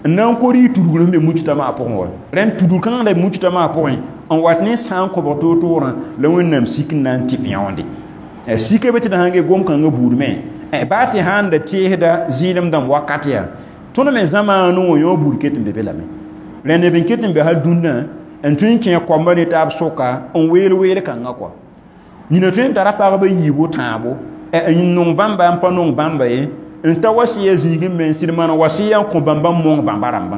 S1: n na n ko rɩ tudgr sẽn be mujtama pʋgẽ wa rẽnd tudg kãngã la mujtama pʋgẽ n wat ne sã n kõbg toor-toorã la wẽnnaam sik n na n tɩp yãonde sika be tɩ d sãn ge gom-kãngã buud me baa tɩ sãn da teesda zɩɩlem dãmb wakat yaa tõnd me zamaanẽ wã yõ buud ket n be be lame rẽnd neb n ket n be hal dũnna n tõe n kẽ koamba ne taab sʋka n weel weel kãngã kɔa nina tõe n tara pagba yiibu tãabo n nong bãmba n pa nong bãmba ye n ta wasiya zĩigẽ me n sɩd maan wasiya n kõ bãmba n mong bãmba rãmbã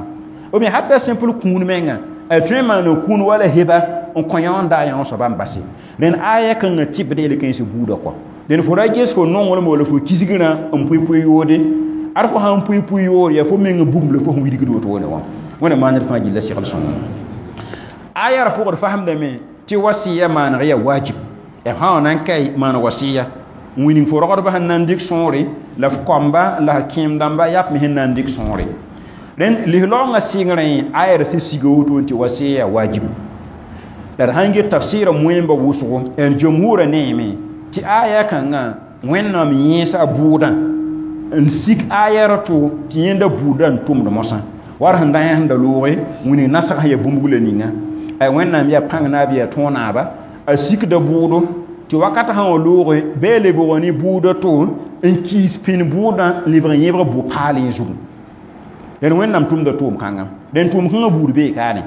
S1: ou bien hatta simple kũun menga a tõe n maana kũun wala heba n kõ yãond a yão soaba n base rẽnd aya kãngã tɩbd yel-kãensã buudã kɔa dẽn fo ra ges fo nonglem wala fo kisgrã n pʋɩ-pʋɩ yoode ad fo sãn pʋɩ-pʋɩ yoor yaa fo meng bugum la fo sẽn wilgd wotone wã wẽnnaam maan ned fãa gilla segl sõngo aya ra pʋgd fasemdame tɩ wasiya maaneg yaa wajib b sã wa na n kae maan wasiya n wilg fo rogdbã sẽn na n dɩk sõore la f koamba la f kẽem dãmba yap me sẽn na n dɩk sõore rẽnd lislaoongã sɩngrẽ aya ra sẽn siga woto n tɩ wasiya yaa wajib la d sãn get tafsɩɩrã moẽmbã wʋsgo n jumhurã neeme tɩ aya kãngã wẽnnaam yẽesa bʋʋdã n sik aya ra to tɩ yẽnda buudã n tʋmd mosã war sẽn da yẽ sẽn da looge wĩnig nasg sẽn yaa bũmb la ninga ay wẽnnaam yaa pãng naab yaa tõog naaba a sikda bʋʋdo tɩ wakat sã wã looge bɩ a lebg ne bʋʋda to n kiis pĩnd bʋʋdã n lebg n yẽbg bʋ-paal yẽ zugu dẽn wẽnnaam tʋmda tʋʋm kãnga dẽn tʋʋm kãngã buud bee kaane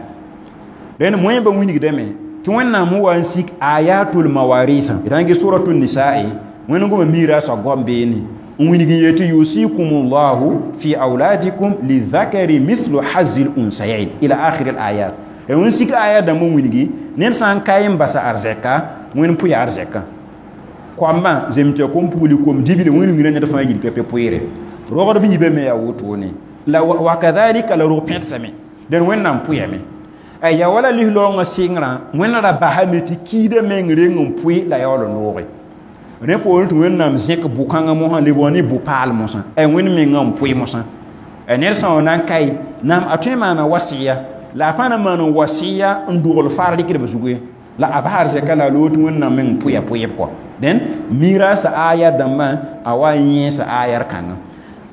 S1: dẽn moẽmbã wilgdame tɩ wẽnnaam wa n sik ayatul mawarithã d sãn ges suratul nisa'i Wẽnd goma miiraasã goam beene n wilg n yetɩ yusikumullahu fi auladikum lizakari mithlu hazi l-unsayain ila akhir al-ayat. Wẽn sik aya dãmb n wilgi ned sã n ka n basa arzɛka wẽnd pʋya arzɛka koambã zemtɩ kom pugli kom dibile wẽnd wĩrã ned fãa yil ka pe pʋɩɩre rogdb yiibã me yaa wotone la wakadhalika la rog pẽdsame dẽn wẽnnaam pʋyame ya wala lislaoongã sɩngrã wẽnd ra basame tɩ kiidã meng reng n pʋɩ la yaool n looge rẽ poorẽ tɩ wẽnnaam zẽk bʋ-kãngã mosã lebg ne bʋ-paal mosã wẽnd mengã n pʋɩ mosã ned sã wa na n kae naam a tõe n maana wasiya la a pa na maan wasiya n dogl faar rɩkdb zugu ye la a bas arzɛka la a loog tɩ wẽnnaam meng pʋya pʋɩb kɔ dẽn miiraasã aya dãmbã a wa n yẽesa ayar kãngã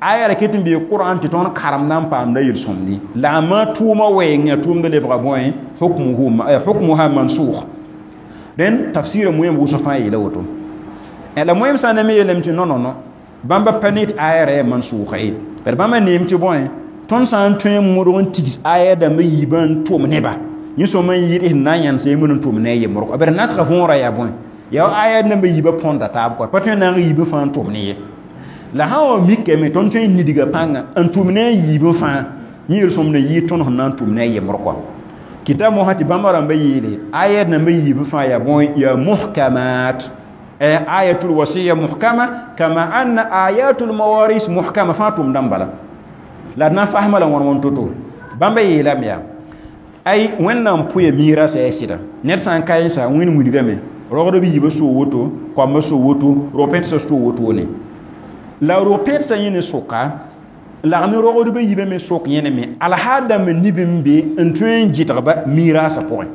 S1: aya la ket n bee Qur'an tɩ tõnd karemda n paamda yel-sõmdi la a ma tʋʋmã wɛɛngã tʋʋmda lebga bõe hukmuha mansukh dẽn tafsɩra moẽm wʋsg fãa yeela woto la moẽm sã n na me yeelame tɩ non bãmba pa ne tɩ aya ra yaa mansʋʋga ye bad bãmba neem tɩ bõe tõnd sã n tõe n modg n tigs aya dãmba yiibã n tʋm neba yẽ sõma n yɩɩd sẽn na n yãns yembr n tʋm ne a yembrg bad nasga võorã yaa bõe yaa aya dãmba yiibã põnda taab kɔ pa tõe n na n yiibã fãa n tʋm ne ye la sã wa mikame tõnd tõe n nidga pãnga n tʋm ne a yiibã fãa yẽ yel-sõmd n yɩɩd tõnd sẽn na n tʋm ne a yembr kɔ kɩta mosã tɩ bãmba rãmba yeele aya dãmba yiibã fãa yaa bõe yaa muhkamat ayatul wasiya muhkama kama anna ayatul mawaris muhkama fãa tʋmdã n bala la d na n fasma la wãn wãn to-to bãmba yeelame yaa ay wẽnnaam pʋya miirasã yaa sɩda ned sã n ka yẽsa wẽnd wilgame rogdb yiibã soo woto koambã soo woto rog-pẽdsã soo wotone la rog-pẽdsã yẽ ne soka lagm rogdbã yiibã me sok yẽne me alhaal dãmb nib n be n tõe n gɩdgba miiraasã pʋgẽ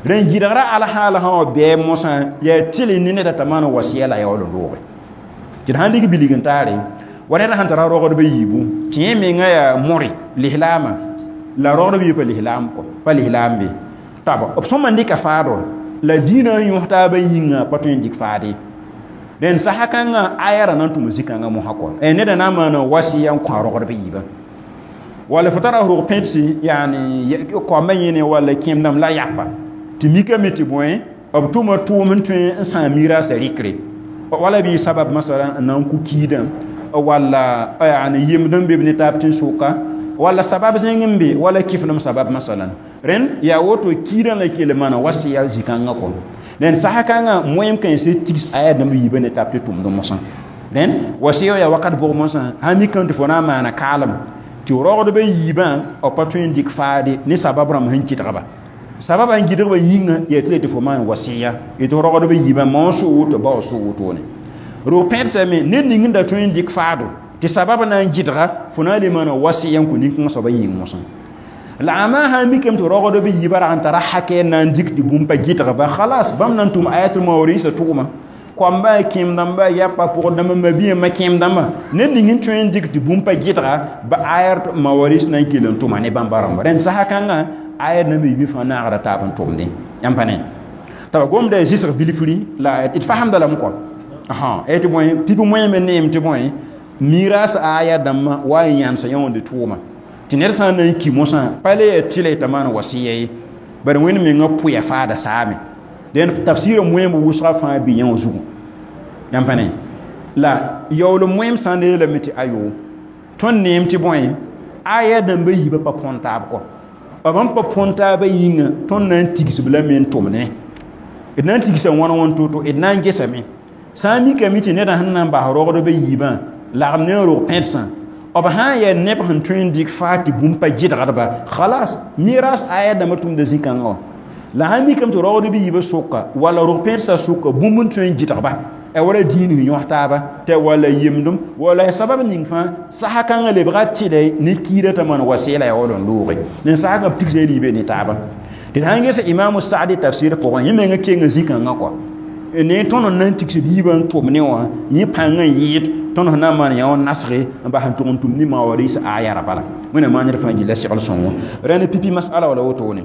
S1: rẽn gɩdgra alhaal sã wa bɩ mosã yaa tɩl ne neda t'a maan wasiya la yaool n looge tɩ d sãn lig bilg n taare wa ned sãn tara rogdbã yiibu tɩ yẽ menga yaa more lislaamã la rogdb yiib pa lislaam kɔ pa lislaam be taba b sõma n dɩka faado la dĩinã n yõs taabã yĩnga pa tõe n dɩk faade dẽn sasa kãngã aya ra na n tʋm zĩ-kãngã mosã kɔ neda na n maana wasiya n kõ a rogdb yiibã wala fo tara rog pẽdse yaani koambã yẽne walla kẽem-dãmb la yapa tɩ mikame tɩ bõe b tʋma tʋʋm n tõe n sãam miiraasã rɩkre wala bɩ sabab masala n na n ku kiidã walla yaani yemd n be b ne taab tẽn-soka walla sabab zẽng n be wala kifnem sabab masalan rẽnd yaa woto kiidã la kell maana wasiya zĩ-kãngã kɔ dẽn sasa kãngã moẽm kãensã tigs aya dãmb yiibã ne taab tɩ tʋmd mosã rẽnd wasiya yaa wakat bʋg mosã sã mikame tɩ fo na n maana kaalem tɩ rogdbã yiibã b pa tõe n dɩk faade ne sabab rãmb sẽn kɩdgba sabab n gɩdgba yĩnga yaa tɩ la tɩ fo maan wasiya tɩ rogdbã yiibã ma soo woto ba wa soo wotone rog pẽdsame ned ning n da tõe n dɩk faado tɩ sabab na n gɩdga fo na n le maana wasiya n kõ nin-kãngã soabã yĩng mosã la a maa sã n mikame tɩ rogdb yiibã rag n tara hakɛ n na n dɩk tɩ bũmb pa gɩdgba khalas bãmb na n tʋm ayatul mawarisa tʋgma koambã kẽem-dãmba yapa pʋgd-dãmba mabiyã ma kẽem-dãmba ned ning n tõe n dɩk tɩ bũmb pa gɩdga ba ayat mawaris na n kell n tʋma ne bãmba rãmba rẽnd sasa kãngã ayat namba yiibã fãa naagra taab n tʋmdẽ yãmb pa ne t'a gomda yaa zɩsg bilfri la d fasemda lame kɔ tɩ bõe pip moẽme neem tɩ bõe miiraas aya dãmbã wa n yãnsa yõonde tʋʋma tɩ ned sã n na n ki mosã pa le yaa tɩla t'a maan wasiya ye bari wẽnd mengã pʋya faada saame dẽn tafsɩrã moẽmb wʋsga fãa bɩ yẽ wã zugu yãmb pa ne la yaool moẽm sã n yeelame tɩ ayo tõnd neem tɩ bõe aya dãmbã yiibã pa põn taab kɔ b n pa põn taabã yĩnga tõnd na n tigsb lame n tʋm ne d na n tigsa wãn wãn to-to d na n gesame sã n mikame tɩ nedã sẽn na n bas rogdbã yiibã lagm ne n rog pẽdsã b sã n yaa neb sẽn tõe n dɩk faa tɩ bũmb pa gɩdgdba khalas miras aya dãmbã tʋmda zĩ-kãngã wã la sã n mikame tɩ rogdb yiibã sʋka walla rog pẽdsã sʋka bũmb n tõe n gɩdgba wala dĩin sẽn yõs taaba tɩ walla yemdem walla sabab ning fãa sasa kãngã lebga tɩlɛ ne kiidã t'a maan wasɩɩla yaa wall n looge ne sasa kã b tigsa liibe ne taaba tɩ d sãn gesa imamu saadi tafsir pʋgẽ yẽ menga kenga zĩ-kãngã kɔ ne tõnd n na n tigsd yiibã n tʋm ne wã yẽ pãng n yɩɩd tõnd sẽn na n maan yã wã nasge n bas n tʋg n tʋm ne mawaris aya ra bala wẽnnaam maan ned fãa gilla segl sõngo rẽnd pipi masala wala wotone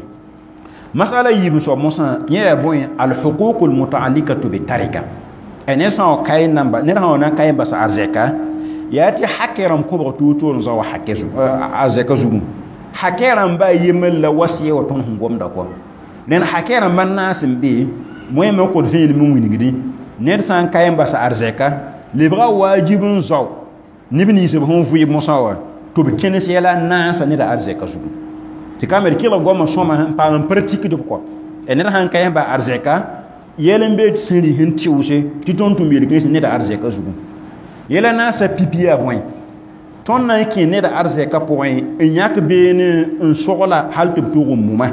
S1: masala yiib n soab mosã yẽ yaa bõe alhuquq almutaallikatu bitarika ned sã n kae namba ned sã wa na n kae n bas arzɛka yaa tɩ hakɛ rãmb kõbg toor-toor n zao wa hakɛ arzɛka zugu hakɛ rãmba a yembr la wasiya wa tõnd sẽn gomda kɔ rẽnd hakɛ rãmba naas n be moẽme n kõt vẽenem n wilgdẽ Ned sã n ka n bas arzɛka lebga waajib n zao neb nins b sẽn vɩɩ mosã wã tɩ b kẽnes yɛla n naasa neda arzɛka zugu. Tɩ ka me d kelg goamã sõma n paam n pratikd b kɔ. Ned sãn ka n ba arzɛka yɛl n be sẽn rɩs n tɩʋse tɩ tõnd tʋm yel-kãens neda arzɛka zugu. Yɛla naasa pipi yaa bõe? Tõnd na n kẽ neda arzɛka pʋgẽ n yãk beene n sogla hal tɩ b tʋg n muma.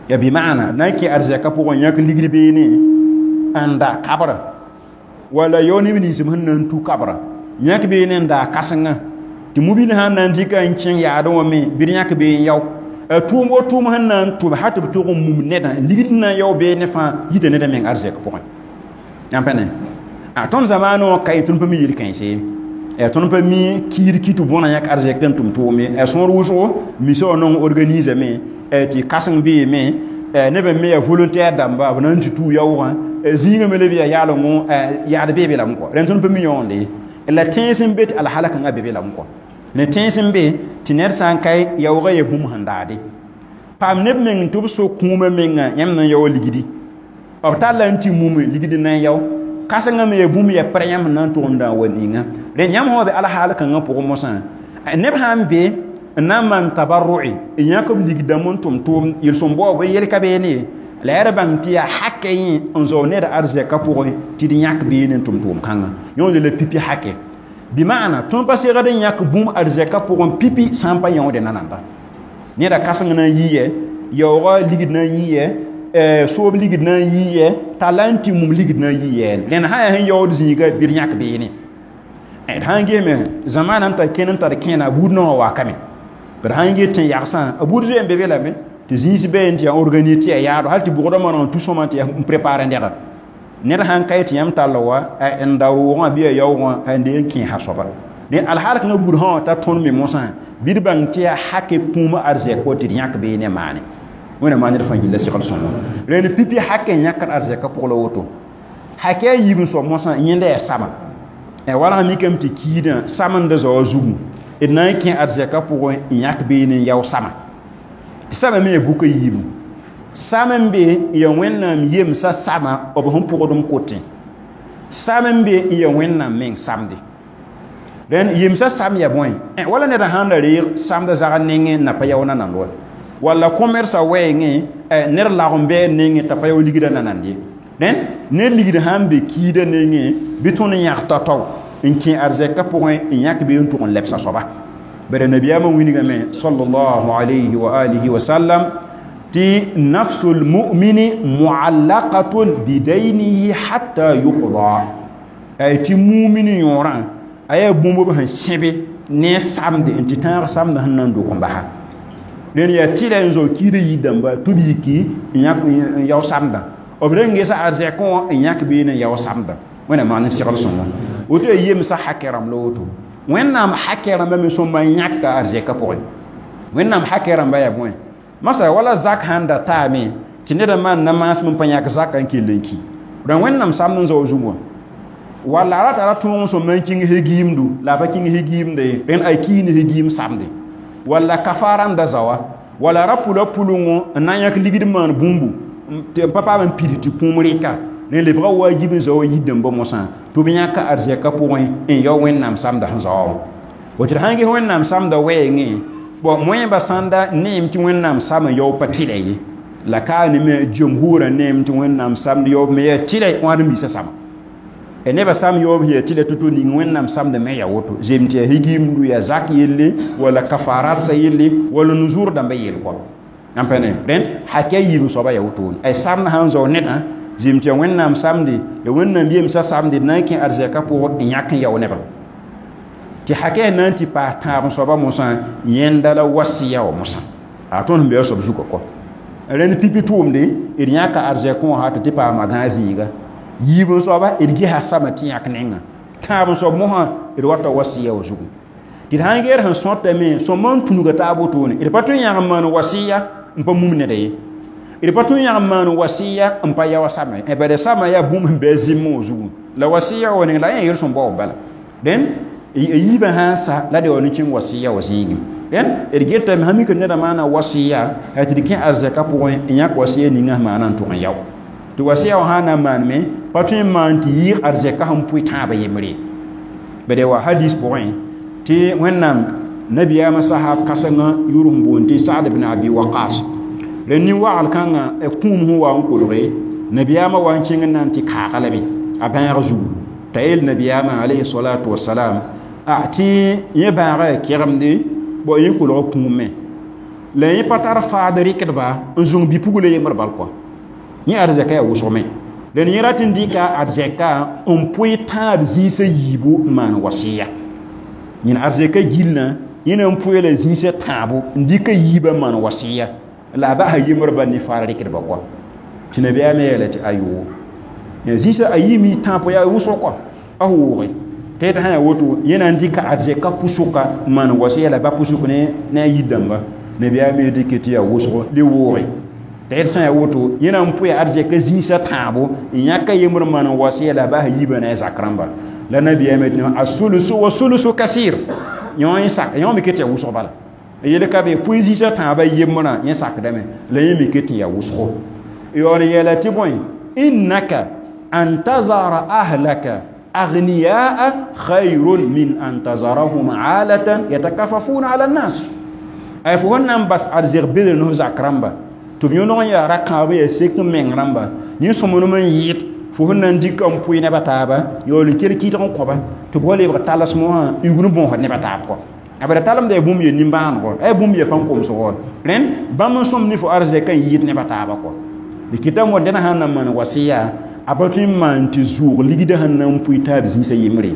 S1: Ya bɩ maana na n kẽ arzɛka pʋgẽ n yãk ligd beene n da kabra wala yao neb nins b sẽn na n tu kabra yãk beene n daa kãsenga tɩ mobil sã n na n dɩka n kẽng yaadẽ wã me bɩ d yãk bee n yao. A tʋʋm wo tʋʋm sẽn na n tʋm hal tɩ b tʋg n mum nedã ligd n na n yao beene fãa yita neda meng arzɛk pʋgẽ. Yãmb pa ne a tõnd zamaanẽ wã ka ye tõnd pa mi yel-kãens ye. Tõnd pa mi kiir ki tɩ bõna yãk arzɛk tɩ n tʋm tʋʋm ye. A sõor wʋsgo misa wã nong organisame tɩ kãseng beeme neb n me yaa volontaire dãmba b na n tɩ tuu yaoogã zĩigã me le bɩ yaa yaalengõ yaad bee be lame kɔ. Rẽnd tõnd pa mi yõonde ye. La tẽns n be tɩ alhala kãngã be be lame kɔ. Ne tẽns n be tɩ ned sã n ka yaoogã yaa bũmb sẽn daade. Paam neb meng tɩ b so kũumã mengã yãmb na n yaoog ligdi. B talla n tɩ mume ligd n na n yao. Kãsengã me yaa bũmb yaa pɛrɛ yãmb sẽn na n tʋg n dã wa ninga. Rẽnd yãmb sã wa be alhaal kãngã pʋgẽ mosã neb sã n be n na n maan tabarru'i n yãk b ligdãmb n tʋm tʋʋm yel-sõm baoob yel ka beene ye. La yaa d bãng tɩ yaa hakɛ yẽ n zao ned arzɛka pʋgẽ tɩ d yãk beene n tʋm tʋʋm kãngã. Yõode la pipi hakɛ. Bɩ maana tõnd pa segd n yãk bũmb arzɛka pʋgẽ pipi sã n pa yõode nananda. Neda kãseng na n yɩ yɛ, yaoogã ligd na n yɩ yɛ, soob ligd na n yɩ yɛ, talla n tɩ mum ligd na n yɩ yɛ. Rẽnd sã yaa sẽn yaood zĩiga bɩ d yãk beene. D sã n gesme zamaana n tar kẽn n tar kẽena buud naoã wakame. B sã n ges tẽ-yagsã a buud zoe n be be lame tɩ zĩis bee n tɩ yaa organise tɩ yaa yaado hal tɩ bʋgdã maneg n tu sõma tɩ yaa n prépare nega. Ned sãn ka tɩ yãmb tall wa n da roogã bɩ yaa yaoogã n dee n kẽesa soaba. Dẽ alhaal kãngã buud sã wã ta tõnd me mosã bɩ d bãng tɩ yaa hakɛ kũum arzɛk wa tɩ d yãk beene maane. Wẽnnaam maan ned fãa yella segl sõngo. Rẽnd pipi hakɛ n yãkd arzɛkã pʋg la woto. Hakɛ a yiib n soab mosã yẽnda yaa sama. Wala sã mikame tɩ kiidã samenda zaoa zugu d na n kẽ arzɛkã pʋgẽ n yãk beene n yao sama. Tɩ sama me yaa buka yiibu. Sam n be n yaa Wẽnnaam yemsã sama b sẽn pʋgd n kotẽ. Sam n be n yaa Wẽnnaam meng samde. Rẽnd yemsã sam yaa bõe? Wala ned sãn da reeg samda zagr nengẽ n na pa yao nanand wa. Walla commerce wɛɛngẽ ned lagem bɩ a nengẽ t'a pa yao ligdã nanand ye. Rẽnd ned ligd sãn be kiidã nengẽ bɩ tõnd n yãg tao-tao n kẽ arzɛkã pʋgẽ n yãk bee n tʋg n lebsa soaba. Bara nabiyaamã wilgame sallallahu alayhi wa alihi wa sallam tɩ nafsul mu'mini mu'allaqatun bidaynihi hatta yuqda. Ay tɩ mumin yõorã a yaa bũmb b sẽn sẽbe ne samde n tɩ tãag samdã sẽn na n dog n basa. Rẽnd yaa tɩla n zao kiidã yir-dãmba tɩ b yiki n yãk n yao samdã. B reng gesa arzɛkẽ wã n yãk beene n yao samdã. Wẽnnaam maan n segl sõngo. Woto yaa yemsã hakɛ rãmb la woto. Wẽnnaam hakɛ rãmbã me sõma n yãkda arzɛkã pʋgẽ. Wẽnnaam hakɛ rãmba yaa bõe? Masala wala zak sãn da taame tɩ ned n maan na maasem n pa yãk zakã n kell n ki. Rã Wẽnnaam samd n zao zug wã. Walla a ra tara tõog n sõma n kĩng hegiimdu la a pa kĩng hegiimda ye. Rẽnd a kii ne hegiim samde. Walla kafaara n da zaoa. Walla ra pula pʋlengõ n na n yãk ligd n maan bũmbu tɩ n pa paam n pid tɩ kũum rɩka. Rẽnd lebga waajib n zaoa yir-dãmbã mosã tɩ b yãka arzɛkã pʋgẽ n yao Wẽnnaam samda sẽn zaoa wã. Woto d sãn ges Wẽnnaam samda wɛɛngẽ bõ moẽba sãn da neem tɩ Wẽnnaam sam n yao pa tɩlɛ ye. La ka ne me jumhurã neem tɩ Wẽnnaam samd yaoob me yaa tɩlɛ wãad n biisã sama. Nebã sam yaoob yaa tɩlɛ to-to ning Wẽnnaam samd me yaa woto. Zem tɩ yaa higiimdu yaa zak yelle walla kafarat yelle walla nuzur dãmbã yell kɔ. Yãmb pa ne rẽnd hakɛ yiib soaba yaa wotone. Ay samd sãn zao nedã zem tɩ yaa Wẽnnaam samde ya Wẽnnaam yemsã samde d na n kẽ arzɛkã pʋgẽ n yãk n yao nebã. Tɩ hakɛ na n tɩ paas tãab soaba mosã yẽnda la wasiya wã mosã. A tõnd sẽn be a soab zugã kɔ. Rẽnd pipi tʋʋmde d yãka arzɛkẽ wã sã tɩ tɩ paama gãag zĩiga. Yiib n soaba d gesa sama tɩ yãk nengã. Tãab n soab mosã d wata wasiya wã zugu. Tɩ d sãn geer sẽn sõtame sõma n tũnuga taab wotone d pa tõe n yãg n maan wasiya n pa mum neda ye. D pa tõe n yãg n maan wasiya n pa yao sama ye. Bala sama yaa bũmb sẽn be a zĩmmẽ wã zugu. La wasiya wã ning la yẽ yel-sõm baoob bala. Rẽnd yiibã sãn sa la d yaool n kẽng wasiya wã zĩigẽ. Rẽnd d getame sã mik nedã maana wasiya tɩ d kẽ arzɛkã pʋgẽ n yãk wasiya ninga sẽn maana n tʋg n yao. Tɩ wasiya wã sã n na n maanme Pa tõe n maan tɩ yɩɩg arzɛka sẽn pʋɩ tãabã yembre bad wa hadis pʋgẽ tɩ Wẽnnaam nabiyaamã sahab kãsengã yʋʋr sẽn boond tɩ Sa'd ibn Abi Waqas la nin-wagl kãngã kũum sẽn wa n kolge nabiyaamã wa n kẽng n na n tɩ kaaga lame a bãag zugu t'a yeel nabiyaamã alayhi salatu wasalam a tɩ yẽ bãagã yaa kegemde bõ yẽ kolga kũumẽ la yẽ pa tar faad rɩkdba n zũng bi-pugla yembr bal kɔa yẽ arzɛka yaa wʋsgme la yẽ rat n dɩka arzɛka n pʋɩ tãab zĩisã yiibu n maan wasiya yẽn arzɛka gillã yẽ na n pʋɩ la zĩisã tãabo n dɩka yiibã n maan wasiya la a basa yembr bal ne faar rɩkdba kɔa tɩ nabiyaamã yeela tɩ ayoo zĩisã a yiime tãab yaa wʋsg kɔa a wooge tɩ sã yaa woto yẽ na n dɩka arzɛka pʋsʋka n maan wasiya la ba pʋsʋk ne a yir-dãmba nabiyaamã dɩke tɩ yaa wʋsg le wooge tɩ d sã yaa woto yẽ na n pʋɩ arzɛka zĩisã tãabo n yãka yembr maan n wasiya la a basa yiibã ne a zak rãmba la nabiyaamã tɩ a sulusu wa sulusu kasir yõ sak yõ me ket yaa wʋsg bala yel ka be pʋɩ zĩisã tãabã yembrã yẽ sakdame la yẽ me ket n yaa wʋsgo yaool n yeela tɩ bõe innaka an tazara ahlaka aghniyaa khayrun min an tazarahum alatan yatakafafuna ala nnas ay fo sẽn na n bas arzɛg bedr ne f zak rãmba tɩ b yõneg n yaa ra-kãab yaa sek n meng rãmba yẽ sõmblem n yɩɩd fo sẽn na n dɩka n pʋɩ neb a taaba yaool n kell kɩdg n kõba tɩ b wa lebg talsem wã n yugd bõosd neb a taab kɔ a bara talemda yaa bũmb yaa nimbãanego a yaa bũmb yaa pãn-komsgo rẽnd bãmb n sõm ne fo arzɛka n yɩɩd neb a taaba kɔ d kɩtame wa dẽna sãn na n maan wasiya a pa tõe n maan tɩ zʋʋg ligdã sẽn na n pʋɩ taab zĩisã yembre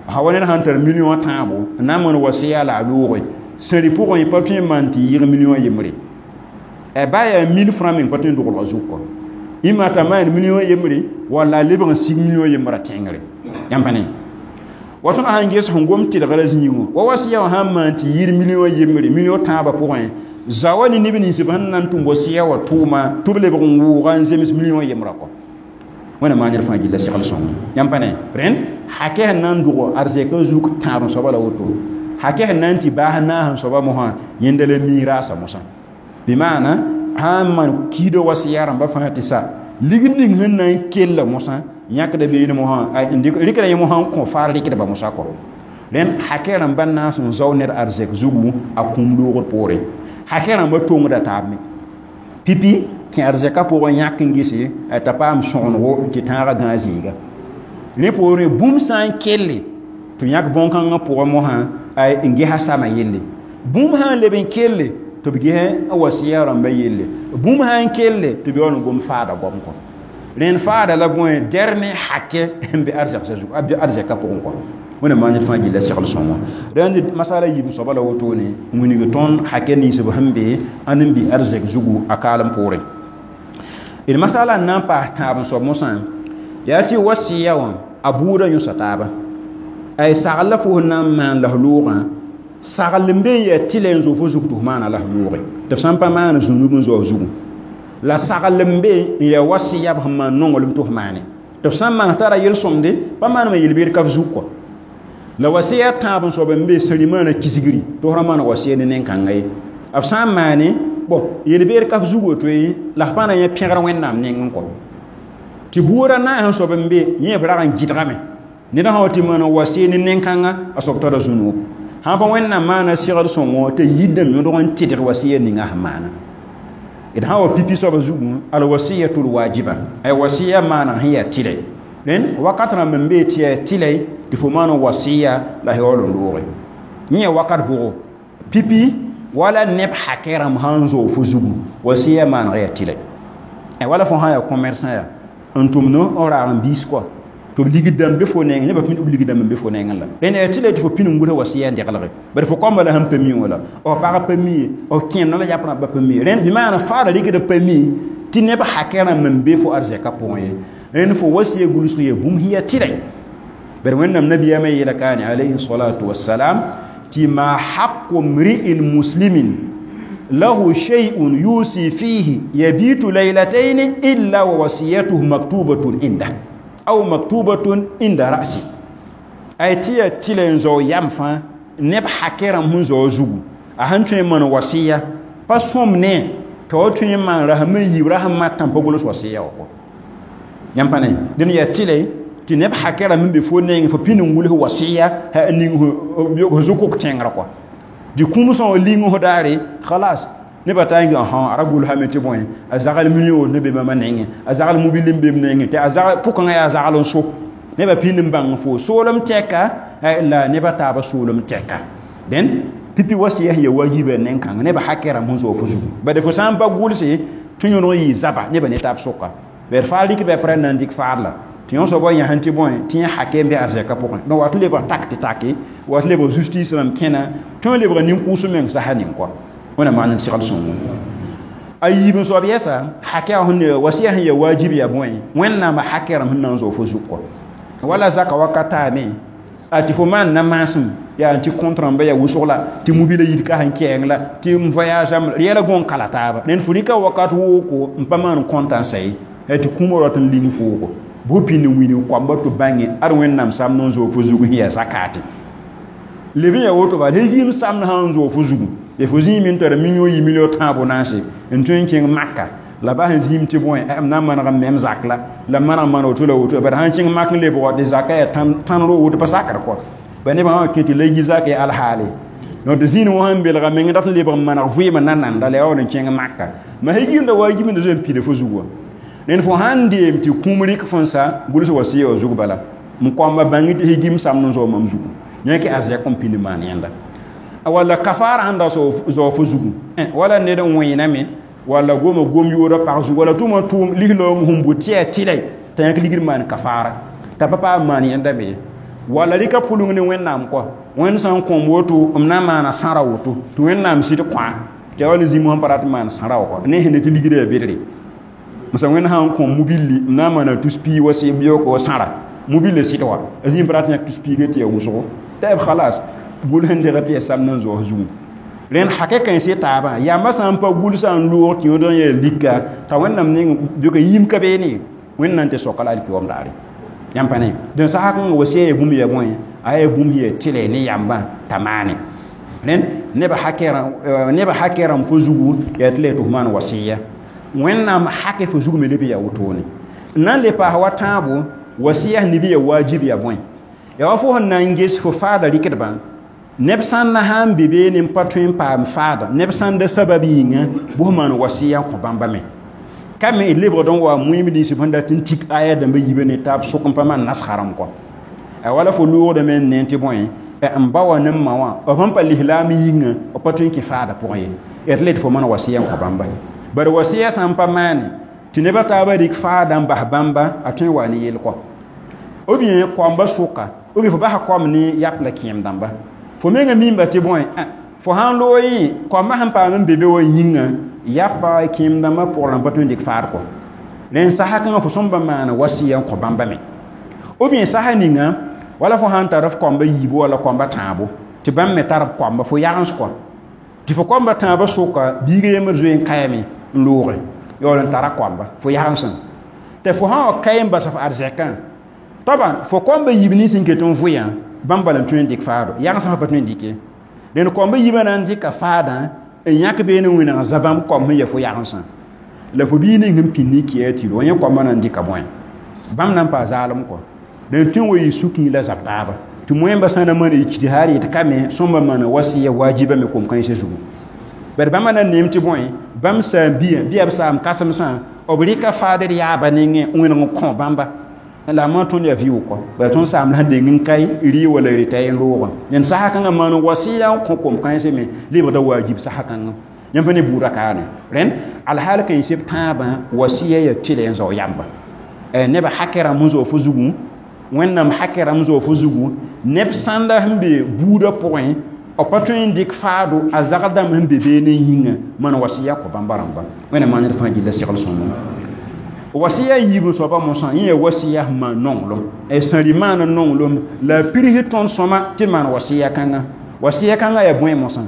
S1: a wa ned sãn tar million tãabo n na n maan wasiya la a looge sẽri pʋgẽ pa tõe n maan tɩ yɩɩg million yembre ba yaa 1000 francs meng pa tõe n doglga zug kɔ ɩma t'a maan million yembre walla a lebg n sig million yembrã tẽngre yãmb pa ne wa tõnd sãn ges sẽn gom tɩlgra zĩigẽ wa wasiya wã sãn maan tɩ yɩɩd million yembre million tãabã pʋgẽ zawa ne neb nins b sẽn na n tʋm wasiya wã tʋʋma tɩ b lebg n wʋʋga n zems million yembrã kɔ Wẽnnaam maan ned fãa gilla segl sõngo yãmb pa ne rẽnd hakɛ sẽn na n dʋg arzɛkã zug tãab soaba la woto hakɛ sẽn na n tɩ baas naas soaba mosã yẽnda la miiraasa mosã bɩ maana sãn maan kiidã wasiya rãmba fãa tɩ sa ligd ning sẽn na n kella mosã yãkda beene mosã rɩkda yẽ mosã n kõ faar rɩkdba mosã kɔ rẽnd hakɛ rãmba naas n zao ned arzɛk zugu a kũum loogr poore hakɛ rãmba tongda taab me pipi tɩ arzɛka pʋgẽ yãk n gese t'a paam sõgenego tɩ tãagã gãag zĩiga rẽ poorẽ bũmb sã n kelle tɩ yãk bõn-kãngã pʋgẽ mosã n gesa sama yelle bũmb sã n leb n kelle tɩ b ges n wasiya rãmba yelle bũmb sã n kelle tɩ b yaool n gom faada goam kɔ rẽnd faada la bõe dernier hakɛ n be arzɛka pʋgẽ kɔ Wẽnnaam maan ned fãa gilla segl sõngo rẽnd masala yiib soaba la wotone n wilg tõnd hakɛ nins b sẽn be ãnd n bɩ arzɛk zugu a kaalem poorẽ d masala n na n paas tãab n soab mosã yaa tɩ wasiya wã a buudã yõsa taaba ay sagl la fo sẽn na n maan la f loogã sagl n be n yaa tɩlɛ n zoog fo zug tɩ f maana la f looge tɩ f sã n pa maan zũnub n zoa f zugu la sagl n be n yaa wasiya b sẽn maan nonglem tɩ f maane tɩ f sã n maan tara yel-sõmde pa maanema yel-beed ka f zug kɔ la wasiya tãab n soab n be sẽri maana kisgri tɩ f ra maan wasiya ne nen-kãnga ye b sã n maane bõ yel-beed ka f zug woto ye la f pa na yẽ pẽgr Wẽnnaam nengẽ kɔ tɩ buudã naas n soab n be yẽ b rag n gɩdgame ned sã wa tɩ maan wasiya ne nen-kãnga a soab tara zũnub sã pa Wẽnnaam maana segd sõngo t'a yidame yõdg n tɩdg wasiya ninga sẽn maana d sã wa pipi soaba zugu al wasiyatul wajiba ay wasiya maana sẽn yaa tɩlɛ rẽnd wakat rãmb n bee tɩ yaa tɩlɛ tɩ fo maan wasiya la yaool n looge yẽ yaa wakat bʋgo pipi wala neb hakɛ rãmb sãn zoog fo zugu wasiya maaneg yaa tɩlɛ wala fo sã yaa commerçant yaa n tʋmd n raag n biis kɔa tɩ b ligd dãmb be fo nengẽ nebã pĩnd b ligd dãmb n be fo nengẽ la rẽnd yaa tɩlɛ tɩ fo pĩnd n gʋls wasiya n deglge bari fo kõmba la sẽn pa mi wã la f pag pa mi ye f kẽemdã la yap rãmba pa mi ye rẽnd bɩ maana faada rɩkd pa mi tɩ neb hakɛ rãmb n be fo arzɛka pʋgẽ ye rẽnd fo wasiya gʋlsg yaa bũmb sẽn yaa tɩlɛ bari Wẽnnaam nabiyaamã yeela kaane alayhi salatu wassalam tɩ ma haqu mri'in muslimin lahu shay'un yusi fihi yabitu laylatayn illa wa wasiyatuhu maktubatun inda aw maktubatun inda ra'si ay tɩ yaa tɩlɛ n zao yam fãa neb hakɛ rãmb sẽn zao zugu a sẽn tõe n maan wasiya pa sõm ne t'a wa tõe n maan rasem n yiib rasem matã pa gʋls wasiya wã kɔ Yãmb pa ne dẽn yaa tɩlɛ tɩ neb hakɛrã me be fo nengẽ fo pĩnd n gʋls wasiya ning fo zʋkʋk tẽngrã kɔa tɩ kũmsã wã ling fo daare khalas nebã taa n a ra gʋlsame tɩ bõe a zagl million ne be bãmba nengẽ a zagl mobil n be m nengẽ tɩ a zagl pʋkãngã yaa zagl n so nebã pĩnd n bãng fo soolem tɛka la nebã taabã soolem tɛka dẽn pipi wasiya sẽn ya wajiba nen-kãng nebã hakɛrã sẽn zoog fo zugu bala fo sã n pa gʋlse tɩ yõdg n yɩ zaba nebã ne taab sʋka bd faa rɩk bɩ pr na n dɩk faad la tɩ yõ soabã yãsẽ tɩ bõe tɩ yẽ hake n be arzɛkã pʋgẽ donc wat n lebg tak tɩ take wat lebg justice rãmb kẽna tõe n lebga nin-kʋʋs meng sasa ning kɔa wẽna maan n segl sõngo a yiib n soab yɛsa hakɛ sẽn wasiya sẽn ya wajib ya bõe wẽnnaamã hakɛ rãmb sẽn na n zoog fo zug kɔ wala zaka wakat taame a tɩ fo maan na maasem yaa tɩ compte rãmba yaa wʋsg la tɩ mobila yid ka sẽn kɛɛng la tɩ m voyage am yɛla gõn kala taaba ned fo rɩka wakat wooko n pa maan compte n sa ye tɩ kũumã rat n ling foogo bʋ pĩnd n wilg koamba tɩ bãnge ad wẽnnaam samd n zoog fo zug sẽn yaa zakate leb n yaa woto bala yim samd sã n zoog fo zugu ya fo zĩig me tara million yi million tãabo naase n tõe n kẽng maka la ba sẽn zĩim tɩ bõe m na n maneg n mem zak la la maneg maan woto la woto bala sãn kẽng mak n lebg tɩ zaka yaa tãn ro woto pa sakr kɔ ba nebã wã kẽ tɩ la yi zak yaa alhaale donc tɩ zĩig wã sẽn belga meng dat n lebg n maneg vɩɩmã na nanda la yaa wall n kẽng maka ma sẽn yimda waajibã zoe n pida fo zug wã ned fo sãn deem tɩ kũum rɩk fõn sa gʋls wasiya wã zug bala m koamba bãng tɩ higim samd n zoog mam zugu yãke arzɛk n pĩnd maan yẽnda walla kafaara sẽn da zoog fo zugu wala ned n wẽename walla goma gom yoora pag zugu walla tʋma tʋʋm lislaoong sẽn bʋ tɩ yaa tɩlɛ t'a yãk ligd maan kafaara t'a pa paam maan yẽnda me walla rɩka pʋleng ne wẽnnaam kɔa wẽnd sã n kõm woto m na n maana sãra woto tɩ wẽnnaam sɩd kõa tɩ ya wall zĩm sẽn pa rat n maan sãra wã kɔa ne sẽn ne tɩ ligdã yaa bedre msa wẽnd sã n kõ mobilli m na n maana tus piig wa sɩb yoko wa sãra mobile sɩd wa a zĩm pa rat yãk tus piigã tɩ yaa wʋsgo tɩ b khalas gʋls n degd tɩ yaa samd n zoos zugu rẽnd hakɛ kãens taabã yamba sã n pa gʋlsã n loog tɩ yõod n yaa lika t'a wẽnnaam ning bɩka yĩm ka beene wẽnnaam tɩ soka la alkiyoom daare yãmb pa ne dẽn sasa kãngã wasiya yaa bũmb yaa bõe a yaa bũmb yaa tɩlɛ ne yambã t'a maane rẽnd nebã hakɛ rãmb fo zugu yaa tɩ la yaa tɩ f maan wasiya wẽnnaam hakɛ fo zug me leb yaa wotone n na n le paas wa tãabo wasiya sẽn neb yaa wajib yaa bõe yaa wa fo sẽn na n ges fo faada rɩkdbã neb sãn na sã n be beene n pa tõe n paam faada neb sãn da sabab yĩnga bʋ f maan wasiya n kõ bãmba me ka me d lebgd n wa moeem nins sẽn dat n tik aya dãmba yiibã ne taab sʋk n pa maan nasga rãmb kɔ a wala fo loogdame n ne tɩ bõe n ba wã ne n ma wã b sẽn pa lislaam yĩnga b pa tõe n kẽ faada pʋgẽ ye yaa tɩ la tɩ fo maan wasiya n kõ bãmba bari wasiya sã n pa maane tɩ nebã taabã rɩk faada n bas bãmba a tõe n wa ne yel kɔ ou bien koamba sʋka ou bien fo basa koam ne yap la kẽem dãmba fo menga mimba tɩ bõe fo sãn loog yẽ koambã sẽn paam n be be wã yĩnga yapa kẽem dãmbã pʋgẽ rãmb pa tõe n dɩk faad kɔ rẽnd sasa kãngã fo sõm ba maana wasiya n kõ bãmba me ou bien sasa ninga wala fo sãn tar f koamba yiibu wala koamba tãabo tɩ bãmb me tar b koamba fo yagens kɔ tɩ fo koamba tãabã sʋka biiga yembr zoe n kayame n looge yaool n tara koamba fo yagensẽ tɩ fo sã wa kay n bas f arzɛkã toaba fo koamba yiib nins n ket n vʋyã bãmb bala n tõe n dɩk faado yagsã fa pa tõe n dɩke dẽnd koamba yiibã na n dɩka faadã n yãk beene wẽneg za bãmb koam sẽn ya fo yagensã la fo bii ning sẽn pĩnd n kɩa tɩ yẽ koambã na n dɩka bõe bãmb na n paa zaalem kɔ dẽnd tõe n wa yɩ sukĩ la zab taaba tɩ moẽmba sã na maana ijtihaad yetɩ ka me sõmba maana wasiya wajiba me kom-kãensã zugu bad bãmba na n neem tɩ bõe bãmb saam bia bɩ yaa b saam kãsemsã b rɩka faadr yaaba nengẽ wẽneg n kõ bãmba la ma tõnd yaa vɩʋʋg kɔ bala tõnd saam la sẽn deng n kae rɩ wala rɩta n loogã dẽnd sasa kãngã maan wasiya n kõ kom-kãensẽ me lebgda wajib sasa kãngã yãmb pa ne buudã kaane rẽnd alhaal kãens b tãabã wasiya yaa tɩlɛ n zao yamba nebã hakɛ rãmb sẽn zoog fo zugu wẽnnaam hakɛ rãmb zoog fo zugu neb sãnda sẽn be buudã pʋgẽ b pa tõe n dɩk faado a zagl dãmb sẽn be beene yĩnga maan wasiya kõ bãmba rãmba wẽnnaam maan d fãa gilla segl sõngo wasiya yiib n soaba mosã yẽ yaa wasiya sẽn maan nonglem sãri maan n nonglem la a pirs tõnd sõma tɩ d maan wasiya kãnga wasiya kãngã yaa bõe mosã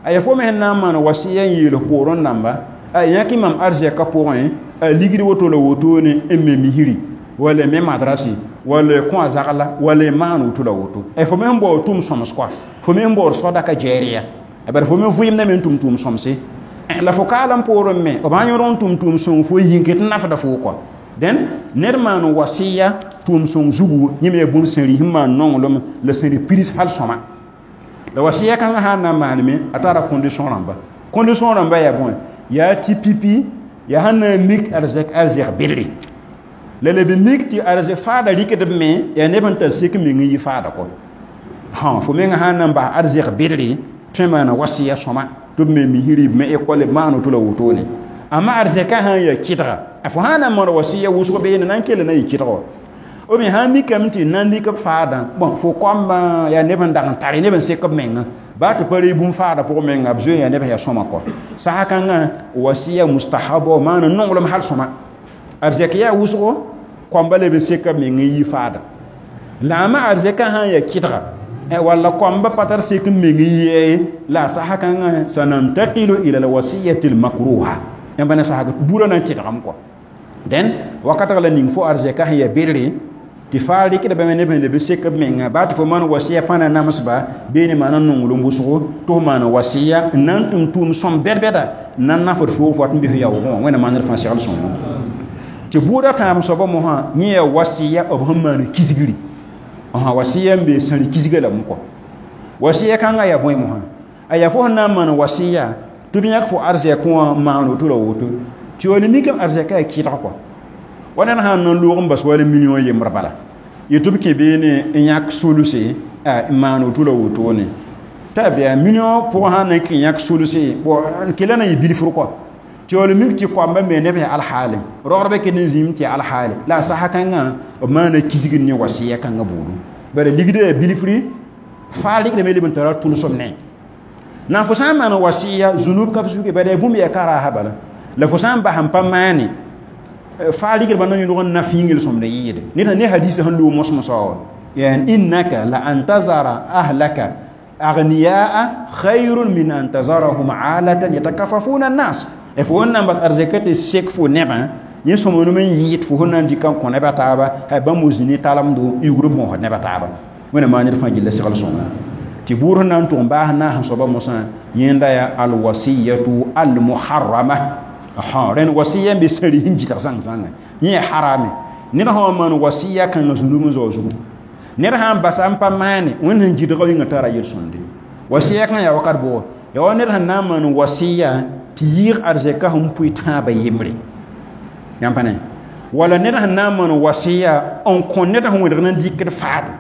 S1: a yaa fo me sẽn na n maan wasiya n yeel poorẽ dãmba a yãk mam arzɛkã pʋgẽ a ligd woto la wotone n me misri wala me madrasi wala kõ a zagla wala maan woto la woto fo me sẽn baood tʋm sõms kɔa fo me sẽn baood sodaka jɛɛrya bara fo me vɩɩmdame n tʋm tʋʋm sõmse la fo kaalem poorẽ me b sã yõd n tʋm tʋʋm sõng fo yĩng tɩ nafda fo kɔa Den ned maan wasiya tʋʋm sõng zugu yẽ me yaa bũmb sẽn rɩ sẽn maan nonglem la sẽn rɩ pirs hal sõma la wasiya kãngã sã n na n maaneme a tara condition rãmba condition rãmba yaa bõe yaa tɩ pipi yaa sẽn na n mik arzɛk bedre la leb mik tɩ arzɛk faada rɩkdb me yaa neb n tar sek meng n yɩ faada kɔ fo menga sã n na n bas arzɛk bedre tõe n maana wasiya sõma tɩ b me misẽ rɩɩb me ekɔle b maan woto la wotone amma arzɛka sã n yaa kɩdga fo sã n na n maan wasiya wʋsg beene na n kell na yɩ kɩdg wa ou bien sã n mikame tɩ na n dɩk b faadã bon fo koambã yaa neb n dag n tare neb n sek b menga baa tɩ pa ree bũmb faada pʋgẽ menga b zoe yaa neb sẽn yaa sõma kɔ sasa kãngã wasiya mustahaba maan nonglem hal sõma arzɛk yaa wʋsgo koamba leb n seka b meng n yi faada la a ma arzɛkã sã n yaa kɩdga walla koamba pa tar sek n meng n yɛɛ la a sasa kãngã sanantakilu ila alwasiyati almakruha yãmb ne sasa burã na n kɩdgame kɔ dẽn wakatg la ning fo arzɛkã sẽn yaa bedre tɩ faa rɩkdbame neb sẽn leb n sek b menga baa tɩ fo maan wasiya pãna namsba beene maana nonglem wʋsgo tɩ f maan wasiya n na n tʋm tʋʋm sõm bɛd-bɛda n na n nafd foog fo wat n bɩ f yaoogẽ wã wẽnnaam maaned fãa segl sõngo tɩ bʋʋda tãab soaba mosã yẽ yaa wasiya b sẽn maan kisgri wasiya n be sãri kisga lame kɔ wasiya kãngã yaa bõe mosã a yaa fo sẽn na n maan wasiya tɩ b yãk fo arzɛk wã maan woto la woto tɩ wala mikame arzɛka yaa kɩdg kɔ wa ned sãn na n loog n bas wala million yembr bala yetɩ b kẽ beene n yãk solse n maan woto la wotone t'a bɩa million pʋgẽ sãn na n kẽ yãk solse n kela na n yɩ bilfr kɔ tɩ wala mik tɩ koamba me neb yaa alhaale rogdbã ket n zĩim tɩ yaa alhaale la a sasa kãngã b maana kisgd ne wasiya kãngã buudu bara ligdã yaa bilfri faa rɩkdame leb n tara tʋlsem ne na fo sã n maan wasiya zunub ka f zuge bala yaa bũmb yaa ka raasa bala la fo sã n bas n pa maane faa rɩkdbã na yõlg n na fĩingl sõmd n yɩɩde ned ne hadisa sẽn loog mos-mosã wa yani innaka la an tazara ahlaka aghniyaa khayrun min an tazarahum alatan yatakafafuna annas fo wẽnnaam bas arzɛka tɩ sek fo nebã yẽ sõmblem n yɩɩd fo sẽn na n dɩk n kõ neb a taaba bãmb zĩ ne talemdo yugr b moosd neb a taaba wẽnnaam maan ned fãa gilla segl sõngo tɩ buud sẽn na n tʋg n baas naas n soaba mosã yẽnda yaa alwasiyatu almuharrama rẽnd wasiya n be sãri sẽn gɩtg zãng-zãnga yẽ yaa harame ned sã wa maan wasiya kãngã zũnub n zao zugu ned sã n basa n pa maane wẽnd sẽn gɩdga yĩngã tara yel-sõnde wasiya kãngã yaa wakat bʋgo yaa wa ned sẽn na n maan wasiya tɩ yɩɩg arzɛka sẽn pʋɩ tãabã yembre yãmb pa ne wala ned sẽn na n maan wasiya n kõ ned sẽn wẽdg na n dɩkd faado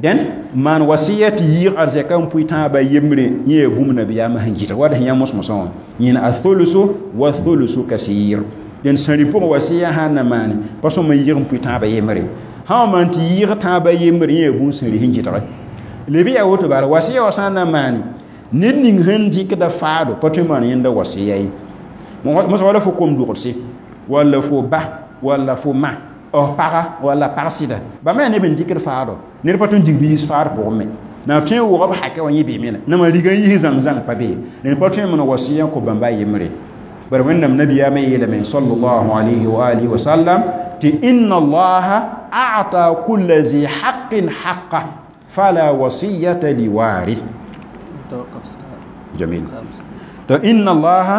S1: dẽn maan wasiya tɩ yɩɩg arzɛka n pʋɩ tãabã yembre yẽ yaa bũmb nabiyaamã sẽn gɩdg wala sẽn yã mos-mosã wã yẽn athulusu wa thulusu kasir dẽn sãri pʋgẽ wasiya sã n na maane pa sõm n yɩɩg n pʋɩ tãabã yembre sã wa maan tɩ yɩɩg tãabã yembre yẽ yaa bũmb sẽn rɩ sẽn gɩdge leb yaa woto bala wasiya wa sã n na maane ned ning sẽn dɩkda faado pa tõe n maan yẽnda wasiya ye mosã wala fo kom-dogdse walla fo ba walla fo ma f paga walla pag sɩda bãmba yaa neb n dɩkd faado ned pa tõe n dig bi yiis faad pʋgẽ me na tõe n wʋg b hakɛ wã yẽ beeme la nama riga n yis zãng-zãng pa be ned pa tõe n maan wasiya n kõ bãmba a yembre bara wẽnnaam nabiyaamã yeelame sallallahu alayhi wa alihi wa sallam tɩ inna allaha a'ta kulla zi haqqin haqqa fala wasiyata liwarith جميل إن الله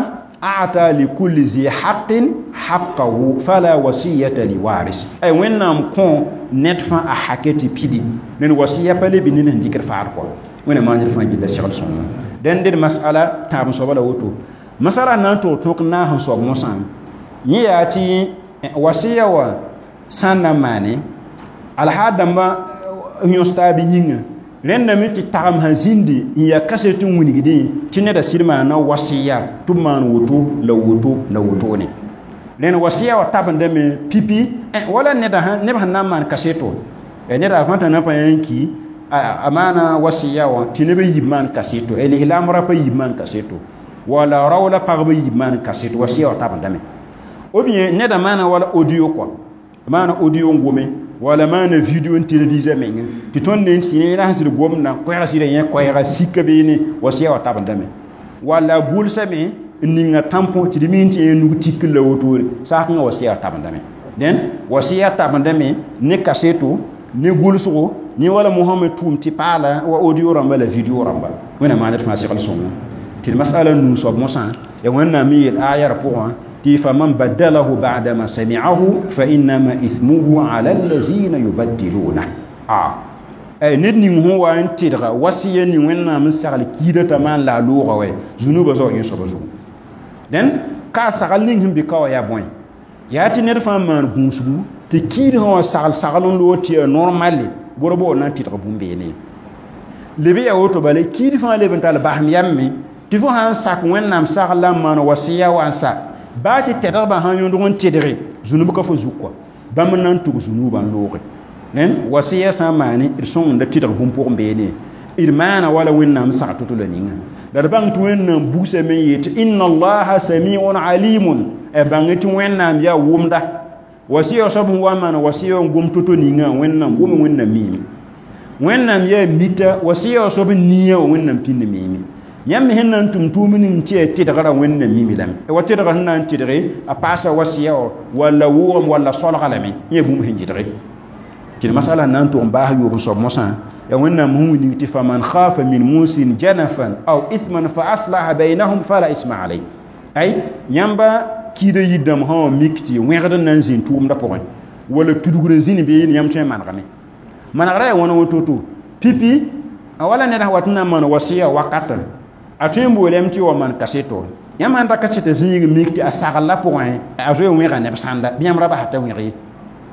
S1: أعطى لكل ذي حق حقه فلا وصية لوارث أي وين نام كون نتفا أحكيتي بيدي لأن وصية بالي بنين هنديك فارقو وين ما نرفع جدا شغل سون دين دي مسألة تام صوبة لوتو مسألة نانتو توك نا هن صوب موسان نياتي وصية و سانا ماني على هذا ما يستابي ينغ rẽndame tɩ tagem sã zĩndi n yaa kaset n wilgdẽ tɩ neda sɩd maana wasiya tɩ b maan woto la woto la wotone rẽnd wasiya wa tabendame pipi wala neb sẽn na n maan kaseto neda a fãta na pa yã n ki a maana wasiya wã tɩ neb n yib maan kaseto lislaam rapa yib maan kaseto wala rao la pagba yib maan kaseto wasiya wa tabendame ou bien neda maana wala audio kɔ maana audio n gome wala maana video n televisa menga tɩ tõnd ne n sɩ la sẽn sɩd gomdã koɛɛg sɩda yẽ koɛɛga sika beene wasiya wa tabendame wala gʋlsame n ninga tampon tɩ d mi tɩ yẽ nug tikr la wotore saakẽngã wasiya wa tabendame dẽn wasiya tabendame ne kaseto ne gʋlsgo ne wala mohamad tʋʋm tɩ paala wa audio rãmba la video rãmba wẽnnaam maaned fãa segl sõngo tɩ d masala nuu soab mosã ya wẽnnaam me yeel ayar pʋgã Tɩ faman baddalahu ba'da ma sami'ahu fa innama ithmuhu ala allazina yubaddiluna. A ned ning sẽn wa n tɩdga wasiya ning Wẽnnaam n sagl kiida t'a maan la a loogã wɛ zũnubã zao yẽ soaba zugu. Dẽn ka a sagl ning sẽn bɩ ka wã yaa bõe? Yaa tɩ ned fãa maan gũusgu tɩ kiidgã wã sagl sagl n loog tɩ yaa normale bʋra bo na n tɩdg bũmb beene. Leb yaa woto bala kiid fãa leb n tall basem yam me tɩ fo sã n sak Wẽnnaam sagl la n maan wasiya wa n sa baa tɩ tɛdgbã sã n yõdg n tɩdge zũnub ka fo zug kɔa bãmb n na n tʋg zũnubã n looge. Dẽn wasiya sã n maane d sõngda tɩdg bũmb pʋgẽ beene d maana wala Wẽnnaam sag to-to la ninga la d bãng tɩ Wẽnnaam bugsame n yeel tɩ inna allaha samiun alimun bãng tɩ Wẽnnaam yaa wʋmda wasiya soab sẽn wa n maan wasiya n gom to-to ninga Wẽnnaam wʋme Wẽnnaam miime Wẽnnaam yaa mita wasiya soab n nia wa Wẽnnaam pĩnd miime. Yãmb sẽn na n tʋm tʋʋm ning tɩ yaa tɩdgrã Wẽnnaam mimi lame wa tɩdgr sẽn na n tɩdge a paasa wasiya wã walla wʋʋgem walla solga lame yẽ bũmb sẽn gɩdge tɩ d masala na n tʋg n baas yoob n soab mosã ya Wẽnnaam sẽn wilg tɩ faman khafa min musin janafan aw ithman fa aslaha baynahum fala isma alay. Ay yãmba kiida yir-dãmb sã wã mik tɩ wẽgd n na n zĩnd tʋʋmdã pʋgẽ wala tudgr n zĩnd beene yãmb tõe n manegame manegrã yaa wãna woto-to pipi a wala ned sã wat n na n maan wasiya wakatã a tõe n boolame tɩ wa maan kaseto yãmb sãn ta kaseta zĩig mik tɩ a sagl pʋgẽ a zoe wẽga neb sãnda bɩ yãmb ra basa t'a wẽg ye.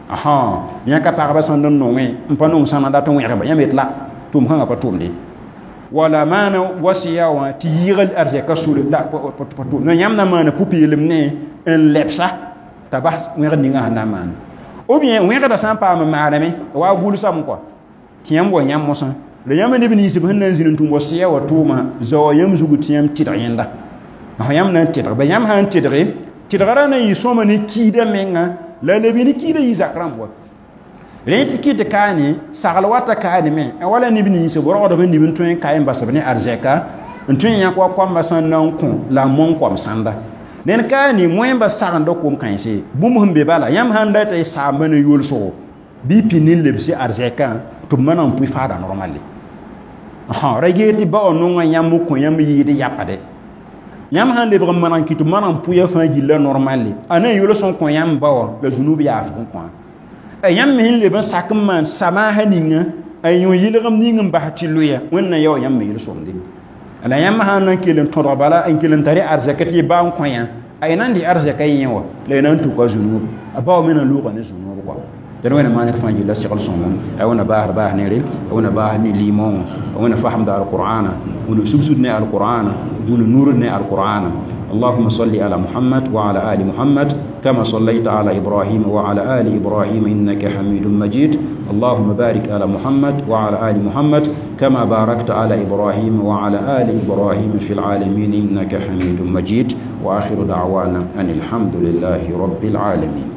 S1: Aha yã ka pagba sãnd n nongẽ n pa nong sãna dat n wẽgba yãmb yet la tʋʋm kãngã pa tʋmde wala maana wasiya wã tɩ yɩɩg arzɛka sore la pa tʋm yãmb na maana pʋ-peelem ne n lebsa t'a bas wẽgd ninga sẽn na n maana ou bien wẽgdã sã n paam n maaname wa gʋlsame kɔa tɩ yãmb wa yãmb mosã la yãmb neb nins b sẽn na n zĩnd n tʋm wasiya wã tʋʋma zaoa yãmb zugu tɩ yãmb tɩdg yẽnda yãmb na n tɩdg ba yãmb sã n tɩdge tɩdgrã na n yɩ sõma ne kiidã menga la leb ne kiidã yɩ zak rãmb wa rẽ tɩ kɩt kaane sagl wata kaane me wala neb nins b rogdb n nib n tõe n ka n bas b ne arzɛka n tõe n yãk wa koambã sãn na n kõ la a mong koam sãnda ned kaane moẽmba sagenda kom kãense bũmb sẽn be bala yãmb sãn data y saamba ne yolsgo bɩ pĩnd n lebse arzɛkã tɩ b maneg n pʋɩ faada normale ra gee tɩ ba wã nongã yãmb kõ yãmb yɩɩd yapde yãmb sãn lebg n maneg n kɩ tɩ maneg n pʋya fãa gilla normale a na n yols n kõ yãmb ba wã la zũnub yaafg n kõ yãmb me sẽn leb n sak n maan samaasã ninga a yõ yɩlgem ning n bas tɩ loya Wẽnnaam yaa wa yãmb me yel-sõmde la yãmb sãn na n kell n tõdg bala n kell n tar arzɛka tɩ y ba n kõ yã a y na n dɩ arzɛka yẽ wã la y na n tuka zũnub a ba wã me na n loogã ne zũnub kɔa. Dẽn Wẽnnaam maan d fãa gilla segl sõngo a wẽnna baasd baas nere a wẽnna baas ne liimã wã a wẽnna fasemda alqur'ana wẽnna subsd ne alqur'ana wẽnna nurd ne alqur'ana. اللهم صل على محمد وعلى آل محمد كما صليت على إبراهيم وعلى آل إبراهيم إنك حميد مجيد. اللهم بارك على محمد وعلى آل محمد كما باركت على إبراهيم وعلى آل إبراهيم في العالمين إنك حميد مجيد. وآخر دعوانا أن الحمد لله رب العالمين.